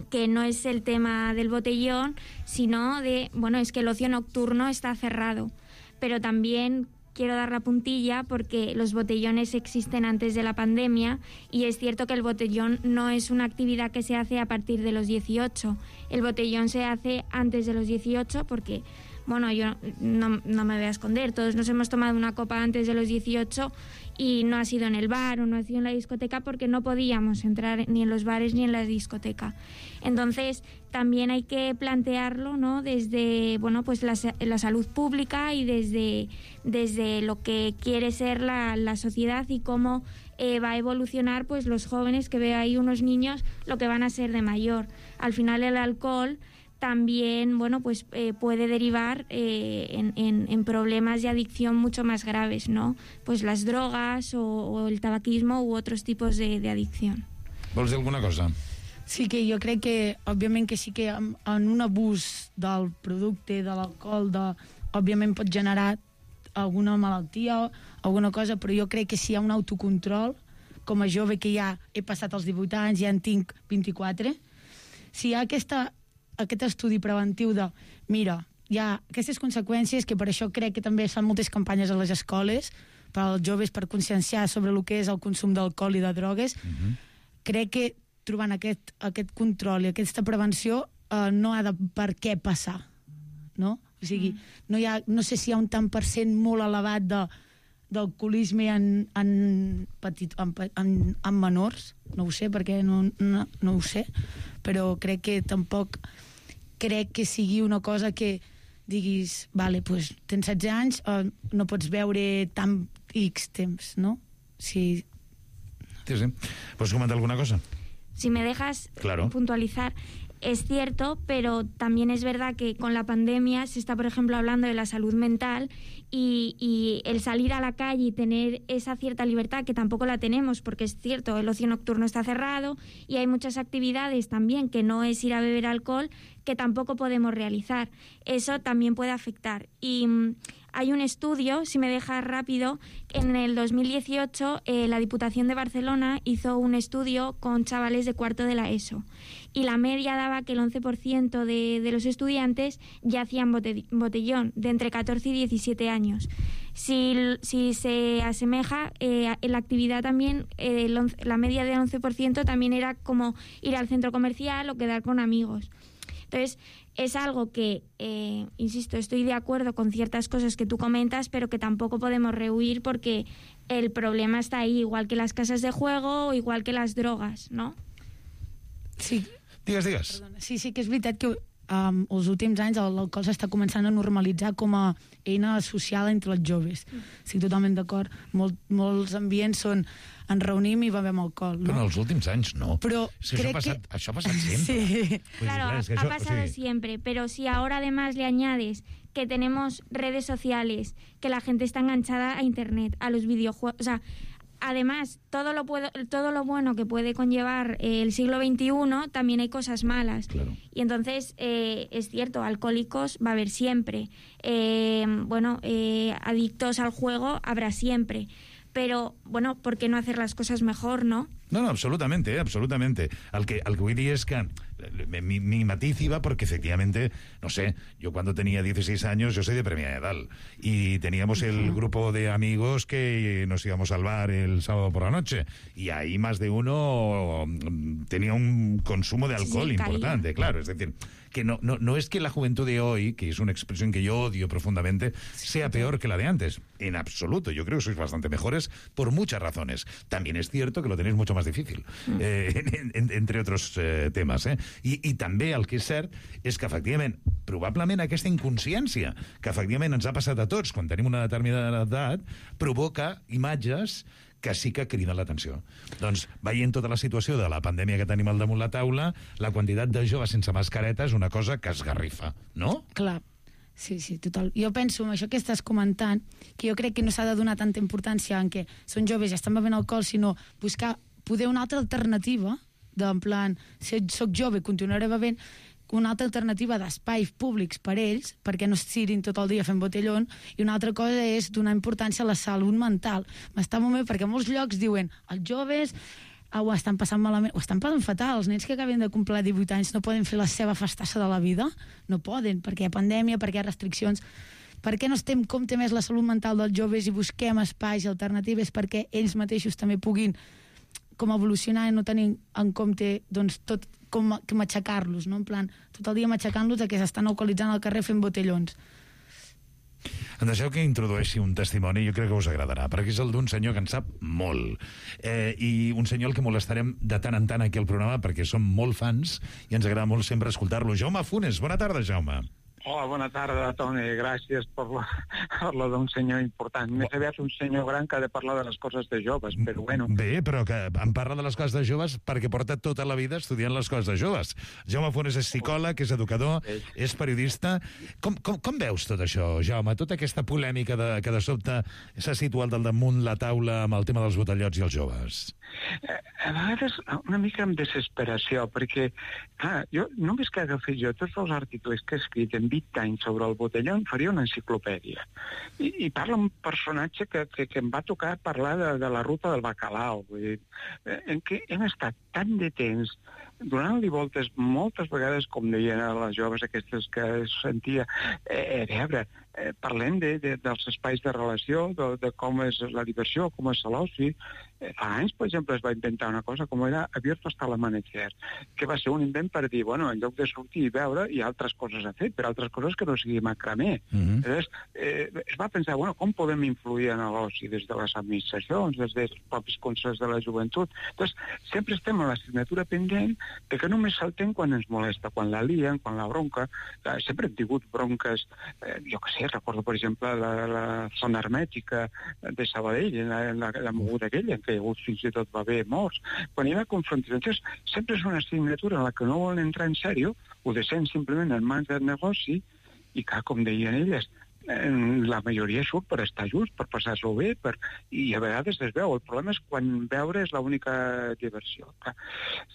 Speaker 15: que no es el tema del botellón, sino de, bueno, es que el ocio nocturno está cerrado, pero también quiero dar la puntilla porque los botellones existen antes de la pandemia y es cierto que el botellón no es una actividad que se hace a partir de los dieciocho, el botellón se hace antes de los dieciocho porque, bueno, yo no, no me voy a esconder, todos nos hemos tomado una copa antes de los dieciocho y no ha sido en el bar o no ha sido en la discoteca porque no podíamos entrar ni en los bares ni en la discoteca. Entonces, también hay que plantearlo, ¿no?, desde, bueno, pues la, la salud pública y desde, desde lo que quiere ser la, la sociedad y cómo eh, va a evolucionar, pues, los jóvenes, que ve ahí unos niños, lo que van a ser de mayor. Al final, el alcohol también, bueno, pues eh, puede derivar eh, en, en, en problemas de adicción mucho más graves, ¿no? Pues las drogas o, o el tabaquismo u otros tipos de, de adicción.
Speaker 9: Vols dir alguna cosa?
Speaker 14: Sí que jo crec que, òbviament, que sí que en, en un abús del producte, de l'alcohol, de, òbviament pot generar alguna malaltia, alguna cosa, però jo crec que si hi ha un autocontrol, com a jove que ja he passat els divuit anys, ja en tinc vint-i-quatre, si hi ha aquesta aquest estudi preventiu de, mira, hi ha aquestes conseqüències, que per això crec que també es fan moltes campanyes a les escoles per als joves per conscienciar sobre el que és el consum d'alcohol i de drogues, uh-huh. Crec que trobant aquest, aquest control i aquesta prevenció eh, no ha de per què passar, no? O sigui, no, hi ha, no sé si hi ha un tant per cent molt elevat de, d'alcoholisme en, en, petit, en, en, en menors, no ho sé, perquè no, no, no ho sé, però crec que tampoc crec que sigui una cosa que diguis, vale, pues, tens setze anys, eh, no pots veure tant X temps, no? Sí.
Speaker 9: Sí, sí. ¿Puedes comentar alguna cosa?
Speaker 15: Si me dejas
Speaker 9: claro.
Speaker 15: puntualizar, es cierto, pero también es verdad que con la pandemia se está, por ejemplo, hablando de la salud mental y, y el salir a la calle y tener esa cierta libertad, que tampoco la tenemos, porque es cierto, el ocio nocturno está cerrado y hay muchas actividades también que no es ir a beber alcohol, que tampoco podemos realizar. Eso también puede afectar. Y mmm, hay un estudio, si me dejas rápido, en el dos mil dieciocho eh, la Diputación de Barcelona hizo un estudio con chavales de cuarto de la ESO y la media daba que el once por ciento de, de los estudiantes ya hacían bote, botellón, de entre catorce y diecisiete años. Si, si se asemeja, eh, en la actividad también, eh, el once, la media del once por ciento también era como ir al centro comercial o quedar con amigos. Entonces, es algo que, eh, insisto, estoy de acuerdo con ciertas cosas que tú comentas, pero que tampoco podemos rehuir porque el problema está ahí, igual que las casas de juego o igual que las drogas, ¿no?
Speaker 14: Sí.
Speaker 9: Digues, digues.
Speaker 14: Perdona. Sí, sí que és veritat que um, els últims anys l'alcohol s'està començant a normalitzar com a eina social entre els joves. Mm. Estic totalment d'acord. Molt, molts ambients són ens reunim i bevem alcohol, ¿no?
Speaker 9: Però en els últims anys no.
Speaker 14: Pero
Speaker 9: es que això, ha passat,
Speaker 14: que...
Speaker 9: això ha passat siempre.
Speaker 14: Sí.
Speaker 9: Pues
Speaker 15: claro,
Speaker 9: es que
Speaker 15: ha
Speaker 9: això,
Speaker 15: pasado
Speaker 9: o sigui...
Speaker 15: siempre, pero si ahora además le añades que tenemos redes sociales, que la gente está enganchada a internet, a los videojuegos, o sea, además, todo lo, puedo, todo lo bueno que puede conllevar eh, el siglo veintiuno, también hay cosas malas.
Speaker 9: Claro.
Speaker 15: Y entonces, eh, es cierto, alcohólicos va a haber siempre. Eh, bueno, eh, adictos al juego habrá siempre. Pero, bueno, ¿por qué no hacer las cosas mejor, no?
Speaker 9: No, no, absolutamente, eh, absolutamente. El que, el que vull dir és que mi, mi matiz iba porque efectivamente, no sé, yo cuando tenía dieciséis años, yo soy de Premia de Dalt, y teníamos el grupo de amigos que nos íbamos al bar el sábado por la noche, y ahí más de uno tenía un consumo de alcohol sí, importante, claro, es decir, que no, no, no es que la juventud de hoy, que es una expresión que yo odio profundamente, sea peor que la de antes, en absoluto, yo creo que sois bastante mejores por muchas razones. También es cierto que lo tenéis mucho más difícil, eh, en, en, entre otros eh, temes, eh? I, i també el que és cert és que efectivament, probablement aquesta inconsciència que efectivament ens ha passat a tots quan tenim una determinada edat provoca imatges que sí que crida l'atenció. Doncs, veient tota la situació de la pandèmia que tenim al damunt la taula, la quantitat de joves sense mascareta és una cosa que esgarrifa, no?
Speaker 14: Clar. Sí, sí, total. Jo penso, amb això que estàs comentant, que jo crec que no s'ha de donar tanta importància en què són joves i estan bevent alcohol, sinó buscar poder una altra alternativa, d'en plan, si soc jove, continuaré bevent, una altra alternativa d'espais públics per ells, perquè no estirin tot el dia fent botellón, i una altra cosa és donar importància a la salut mental. M'està molt bé, perquè molts llocs diuen, els joves ho estan passant malament, ho estan passant fatal. Els nens que acaben de complir divuit anys no poden fer la seva festassa de la vida, no poden, perquè hi ha pandèmia, perquè hi ha restriccions. Per què no estem en compte més la salut mental dels joves i busquem espais alternatives perquè ells mateixos també puguin com evolucionar i no tenir en compte doncs, tot com matxacar-los, no? En plan, tot el dia matxacant-los que s'estan alcoholitzant al carrer fent botellons.
Speaker 9: Em deixeu que introdueixi un testimoni, jo crec que us agradarà, perquè és el d'un senyor que en sap molt, eh, i un senyor al que molestarem de tant en tant aquí al programa perquè som molt fans i ens agrada molt sempre escoltar-lo. Jaume Funes, bona tarda, Jaume.
Speaker 17: Hola, bona tarda, Toni. Gràcies per la, per la d'un senyor important. Més aviat un senyor gran que ha de parlar de les coses de joves, però bueno.
Speaker 9: Bé, però que em parla de les coses de joves perquè porta tota la vida estudiant les coses de joves. Jaume Funes és psicòleg, és educador, és periodista. Com, com, com veus tot això, Jaume? Tota aquesta polèmica de, que de sobte s'ha situat al damunt la taula amb el tema dels botellots i els joves?
Speaker 17: A vegades una mica amb desesperació, perquè clar, jo només que agafés jo tots els articles que he escrit en vint anys sobre el botelló em faria una enciclopèdia. I, i parla un personatge que, que, que em va tocar parlar de, de la ruta del bacalao, vull dir, en què hem estat tant de temps donant-li voltes moltes vegades, com deien a les joves aquestes que sentia, eh, a veure, eh, parlem de, de, dels espais de relació, de, de com és la diversió, com és l'oci. Eh, fa anys, per exemple, es va inventar una cosa com era Abierto hasta l'amanecer, que va ser un invent per dir, bueno, en lloc de sortir i veure, hi ha altres coses a fer, per altres coses que no sigui macramé. Mm-hmm. Llavors, eh, es va pensar, bueno, com podem influir en l'oci des de les administracions, des dels propis consells de la joventut? Llavors, sempre estem a l'assignatura pendent de que només saltem quan ens molesta, quan la lien, quan la bronca. Eh, sempre hem tingut bronques, eh, jo què sé, recordo, per exemple, la, la zona hermètica de Sabadell, la, la, la moguda aquella, en què hi ha hagut fins i tot va haver morts. Quan hi ha confrontacions, sempre és una assignatura en la que no volen entrar en sèrio, ho deixen simplement en mans del negoci, i que, com deien elles, la majoria surt per estar just, per passar-s'ho bé, per... i a vegades es veu. El problema és quan veure és l'única diversió.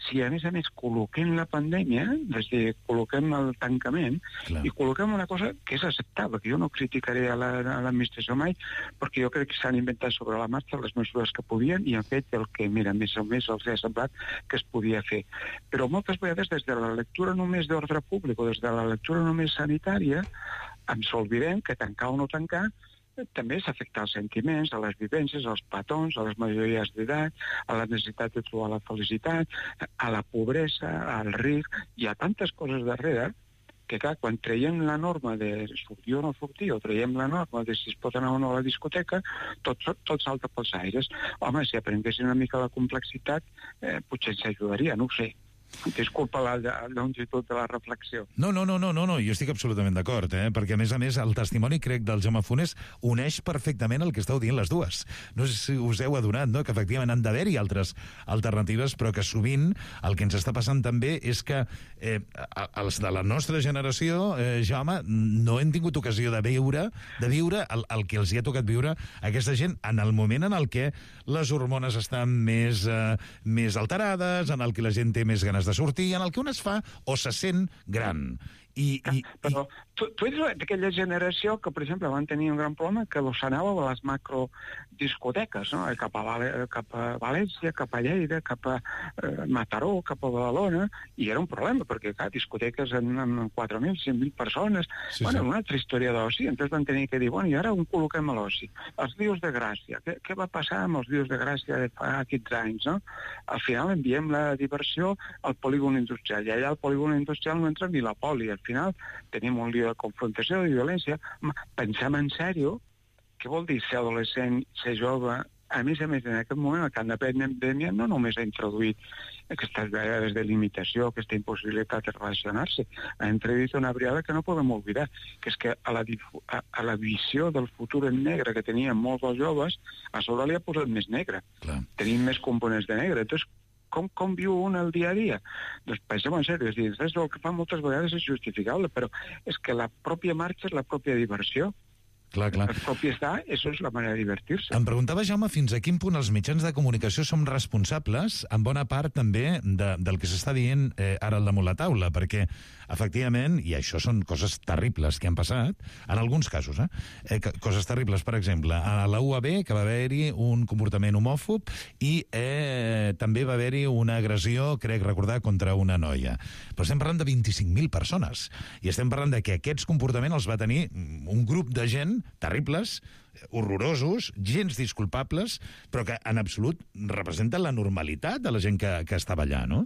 Speaker 17: Si a més a més col·loquem la pandèmia, és a dir, col·loquem el tancament, Clar. i col·loquem una cosa que és acceptable, que jo no criticaré a l'administració mai, perquè jo crec que s'han inventat sobre la marxa les mesures que podien i han fet el que, mira, més o més els ha semblat que es podia fer. Però moltes vegades des de la lectura només d'ordre públic o des de la lectura només sanitària ens oblidem que tancar o no tancar també és afectar els sentiments, a les vivències, als petons, a les majories d'edat, a la necessitat de trobar la felicitat, a la pobresa, al risc. Hi ha tantes coses darrere que, clar, quan traiem la norma de sortir o no sortir, o traiem la norma de si es pot anar o no a la discoteca, tot, tot salta pels aires. Home, si aprenguessin una mica la complexitat, eh, potser ens ajudaria, no ho sé. Disculpa la, la longitud de la reflexió.
Speaker 9: No, no, no, no, no, no. Jo estic absolutament d'acord, eh? Perquè a més a més el testimoni, crec, del Jaume Funes uneix perfectament el que esteu dient les dues. No sé si us heu adonat, no?, que efectivament han d'haver-hi altres alternatives, però que sovint el que ens està passant també és que eh, els de la nostra generació, eh, Jaume, no hem tingut ocasió de viure, de viure el, el que els hi ha tocat viure a aquesta gent en el moment en el que les hormones estan més, eh, més alterades, en el que la gent té més ganes de sortir, en el que un es fa o se sent gran. I, i,
Speaker 17: Però tu, tu ets d'aquella generació que, per exemple, van tenir un gran problema que s'anàveu a les macrodiscoteques, no? Cap a, cap a València, cap a Lleida, cap a eh, Mataró, cap a Badalona, i era un problema, perquè, clar, discoteques amb, amb quatre mil, cinc mil persones, sí, bueno, sí. Una altra història d'oci, entonces van tenir que dir, bueno, i ara on col·loquem a l'oci? Els dius de Gràcia. Què, què va passar amb els dius de Gràcia de fa quinze anys, no? Al final enviem la diversió al polígon industrial, i allà al polígon industrial no entra ni la poli. Al final tenim un lío de confrontació, de violència. Pensem en sèrio què vol dir ser adolescent, ser jove a més a més, en aquest moment, el camp de pandèmia no només ha introduït aquestes vegades de limitació, aquesta impossibilitat de relacionar-se, ha introduït una variable que no podem oblidar, que és que a la, a, a la visió del futur en negre que tenien molts dels joves, a sobre li ha posat més negre.
Speaker 9: Clar.
Speaker 17: Tenim més components de negre. Entonces, com, com viu un el dia a dia? Doncs pensem en sèrio, és dir, el que fa moltes vegades és justificable, però és que la pròpia marxa és la pròpia diversió.
Speaker 9: Clar, clar.
Speaker 17: El propi està, això és la manera de divertir-se.
Speaker 9: Em preguntava, Jaume, fins a quin punt els mitjans de comunicació som responsables, en bona part també, de, del que s'està dient eh, ara al damunt la taula, perquè, efectivament, i això són coses terribles que han passat, en alguns casos, eh? eh coses terribles, per exemple, a la U A B, que va haver-hi un comportament homòfob i eh, també va haver-hi una agressió, crec recordar, contra una noia. Però estem parlant de vint-i-cinc mil persones, i estem parlant de que aquests comportaments els va tenir un grup de gent terribles, horrorosos, gens disculpables, però que en absolut representen la normalitat de la gent que, que estava allà, no?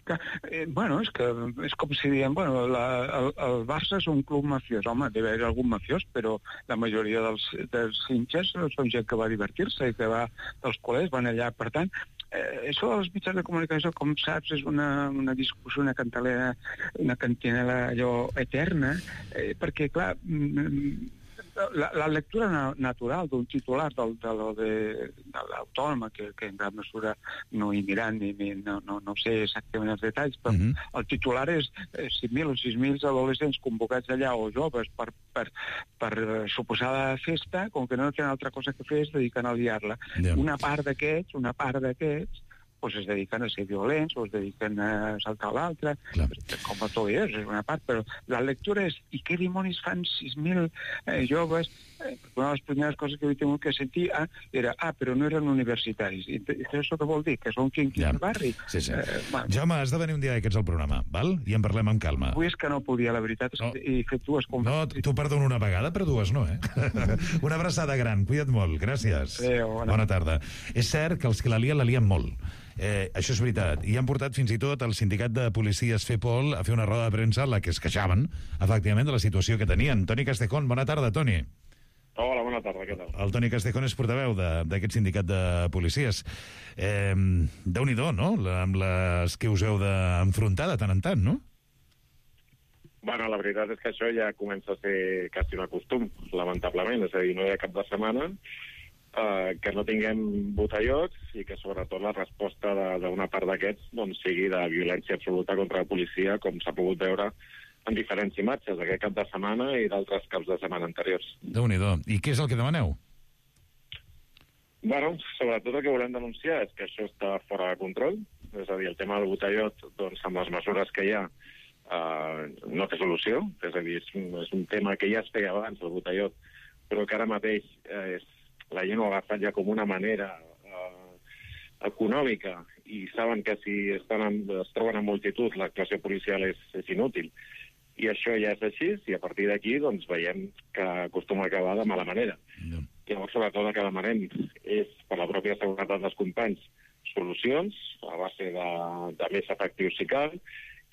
Speaker 17: Que, eh, bueno, és que és com si diem, bueno, la, el, el Barça és un club mafiós. Home, deve haver algun mafiós, però la majoria dels, dels hinchas són gent que va divertir-se i que va dels col·legis, van allà. Per tant, eh, això dels mitjans de comunicació, com saps, és una, una discussió, una cantalera, una cantinela allò eterna, eh, perquè, clar, mm, La, la lectura na natural d'un titular del, de, de, de l'autònoma, que, que en gran mesura no hi miran, ni, ni, no, no, no sé exactament els detalls, però uh -huh. el titular és eh, cinc mil o sis mil adolescents convocats allà, o joves, per, per, per eh, suposada festa, com que no tenen altra cosa que fer, es dediquen a liar-la. Yeah. Una part d'aquests, una part d'aquests, pues es dediquen a ser violents o es dediquen a saltar l'altre, com a tot és, és una part, però la lectura és, i què dimonis fan sis mil eh, joves? Eh, una de les primeres coses que he tingut que sentir ah, era, ah, però no eren universitaris. I això què vol dir? Que són quinquis ja. del barri?
Speaker 9: Sí, sí.
Speaker 17: Eh, bueno.
Speaker 9: Jaume, has de venir un dia d'aquests al programa, val? I en parlem amb calma.
Speaker 17: Avui és que no podia, la veritat, és no. que he fet dues converses.
Speaker 9: No, t'ho perdono una vegada, però dues no, eh? Una abraçada gran, cuida't molt, gràcies.
Speaker 17: Adéu, bona.
Speaker 9: bona tarda. És cert que els que la lien, la lien molt. Eh, això és veritat. I han portat fins i tot el sindicat de policies FEPOL a fer una roda de premsa en la que es queixaven, efectivament, de la situació que tenien. Toni Castejón, bona tarda, Toni.
Speaker 18: Hola, bona tarda, què tal?
Speaker 9: El Toni Castejón és portaveu d'aquest sindicat de policies. Eh, Déu-n'hi-do, no?, amb les que us heu d'enfrontar de tant en tant, no?
Speaker 18: Bueno, la veritat és que això ja comença a ser quasi un costum, lamentablement. És a dir, no hi ha cap de setmana Uh, que no tinguem botellots i que sobretot la resposta d'una part d'aquests doncs, sigui de violència absoluta contra la policia, com s'ha pogut veure en diferents imatges aquest cap de setmana i d'altres caps de setmana anteriors.
Speaker 9: Déu-n'hi-do. I què és el que demaneu?
Speaker 18: Bueno, sobretot el que volem denunciar és que això està fora de control, és a dir, el tema del botellot, doncs, amb les mesures que hi ha, uh, no té solució, és a dir, és un, és un tema que ja es feia abans, el botellot, però que ara mateix uh, és la gent ho ha agafat ja com una manera eh, econòmica i saben que si estan en, es troben en multitud l'actuació policial és, és inútil. I això ja és així, i a partir d'aquí doncs, veiem que acostuma a acabar de mala manera. Yeah. Llavors, sobretot, el que demanem és, per la pròpia seguretat dels companys, solucions a base de, de més efectius si cal,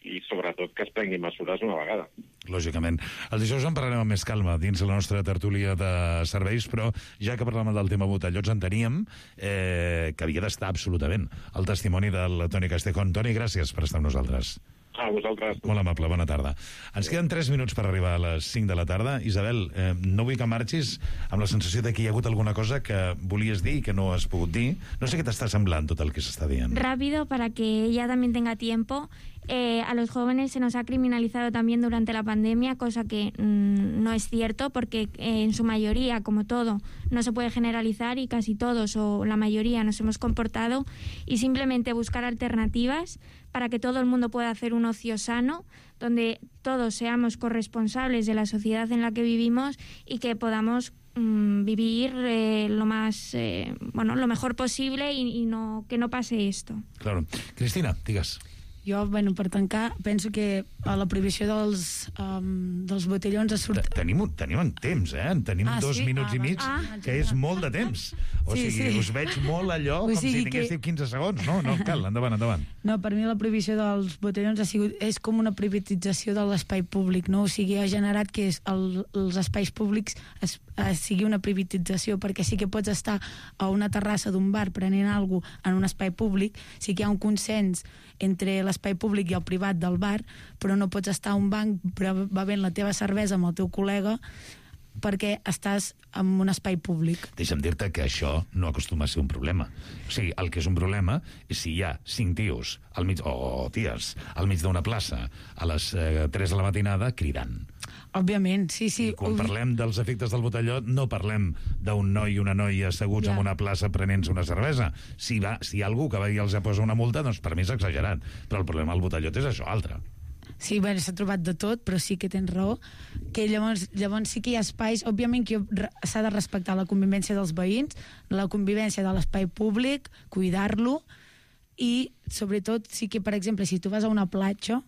Speaker 18: i sobretot que es prenguin mesures una vegada.
Speaker 9: Lògicament. El dijous en parlarem amb més calma dins la nostra tertúlia de serveis, però ja que parlàvem del tema botellots enteníem eh, que havia d'estar absolutament el testimoni del Toni Castejón. Toni, gràcies per estar amb nosaltres.
Speaker 18: A vosaltres.
Speaker 9: Molt amable, bona tarda. Ens queden tres minuts per arribar a les cinc de la tarda. Isabel, eh, no vull que marxis amb la sensació de que hi ha hagut alguna cosa que volies dir i que no has pogut dir. No sé què t'està semblant tot el que s'està dient.
Speaker 15: Rápido, para que ella también tenga tiempo. Eh, a los jóvenes se nos ha criminalizado también durante la pandemia, cosa que mmm, no es cierto, porque eh, en su mayoría, como todo, no se puede generalizar y casi todos o la mayoría nos hemos comportado, y simplemente buscar alternativas para que todo el mundo pueda hacer un ocio sano, donde todos seamos corresponsables de la sociedad en la que vivimos y que podamos mmm, vivir eh, lo más, eh, bueno, lo mejor posible y, y no, que no pase esto.
Speaker 9: Claro. Cristina, digas.
Speaker 14: Jo, bueno, per tancar, penso que a la prohibició dels, um, dels botellons ha sortit...
Speaker 9: Tenim, tenim en temps, eh? En tenim
Speaker 14: Ah,
Speaker 9: dos
Speaker 14: sí?
Speaker 9: minuts
Speaker 14: Ah,
Speaker 9: i mig,
Speaker 14: ah,
Speaker 9: que és molt de temps. O
Speaker 14: Sí,
Speaker 9: sigui,
Speaker 14: sí.
Speaker 9: us veig molt allò
Speaker 14: O
Speaker 9: com si
Speaker 14: sigui
Speaker 9: tinguéssiu
Speaker 14: que-
Speaker 9: quinze segons. No, no, cal, endavant, endavant.
Speaker 14: No, per mi la prohibició dels botellons ha sigut, és com una privatització de l'espai públic, no? O sigui, ha generat que és el, els espais públics es, es sigui una privatització, perquè sí que pots estar a una terrassa d'un bar prenent alguna cosa en un espai públic, sí que hi ha un consens entre l'espai públic i el privat del bar, però no pots estar a un banc bevent la teva cervesa amb el teu col·lega perquè estàs en un espai públic.
Speaker 9: Deixa'm dir-te que això no acostuma a ser un problema. O sigui, el que és un problema és si hi ha cinc tios al mig, o ties al mig d'una plaça a les eh, tres de la matinada cridant.
Speaker 14: Òbviament, sí, sí.
Speaker 9: I quan parlem dels efectes del botelló, no parlem d'un noi i una noia asseguts
Speaker 14: Ja.
Speaker 9: en una plaça prenent-se una cervesa. Si, va, si hi ha algú que va i els posa una multa, doncs per mi és exagerat. Però el problema del botellot és això, altre.
Speaker 14: Sí, bueno, s'ha trobat de tot, però sí que tens raó, que llavors, llavors sí que hi ha espais, òbviament que re- s'ha de respectar la convivència dels veïns, la convivència de l'espai públic, cuidar-lo, i sobretot sí que, per exemple, si tu vas a una platja,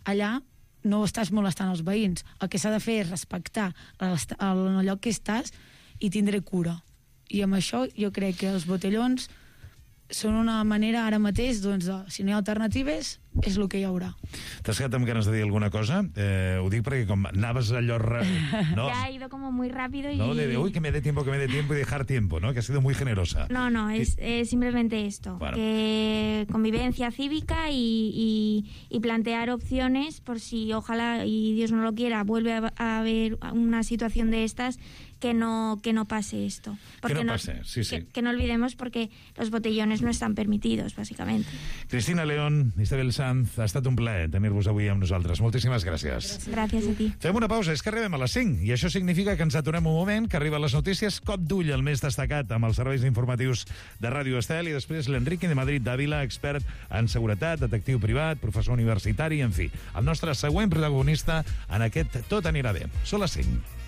Speaker 14: allà no estàs molestant els veïns. El que s'ha de fer és respectar l'est- el, el lloc que estàs i tindre cura. I amb això jo crec que els botellons són una manera ara mateix, doncs, de, si no hi ha alternatives, és el que hi haurà.
Speaker 9: T'has quedat amb ganes de dir alguna cosa? Eh, ho dic perquè com anaves allò... Re... No,
Speaker 15: Ya ha ido como muy rápido y...
Speaker 9: no de, de, uy, que me dé tiempo, que me dé tiempo y dejar tiempo, ¿no? Que ha sido muy generosa.
Speaker 15: No, no, es, es simplemente esto,
Speaker 9: Bueno.
Speaker 15: que convivencia cívica y, y, y plantear opciones por si, ojalá, y Dios no lo quiera, vuelve a, a haber una situación de estas, que no, que no pase esto.
Speaker 9: Que no pase, sí, sí.
Speaker 15: Que, que no olvidemos porque los botellones no están permitidos, básicamente.
Speaker 9: Cristina León, Isabel Sanz, ha estat un plaer tenir-vos avui amb nosaltres. Moltíssimes gràcies.
Speaker 15: Gracias a ti.
Speaker 9: Fem una pausa, és que arribem a les cinc, i això significa que ens aturem un moment, que arriben les notícies, cop d'ull el més destacat amb els serveis informatius de Ràdio Estel, i després l'Enrique de Madrid d'Àvila, expert en seguretat, detectiu privat, professor universitari, en fi, el nostre següent protagonista en aquest Tot anirà bé. Són les cinc.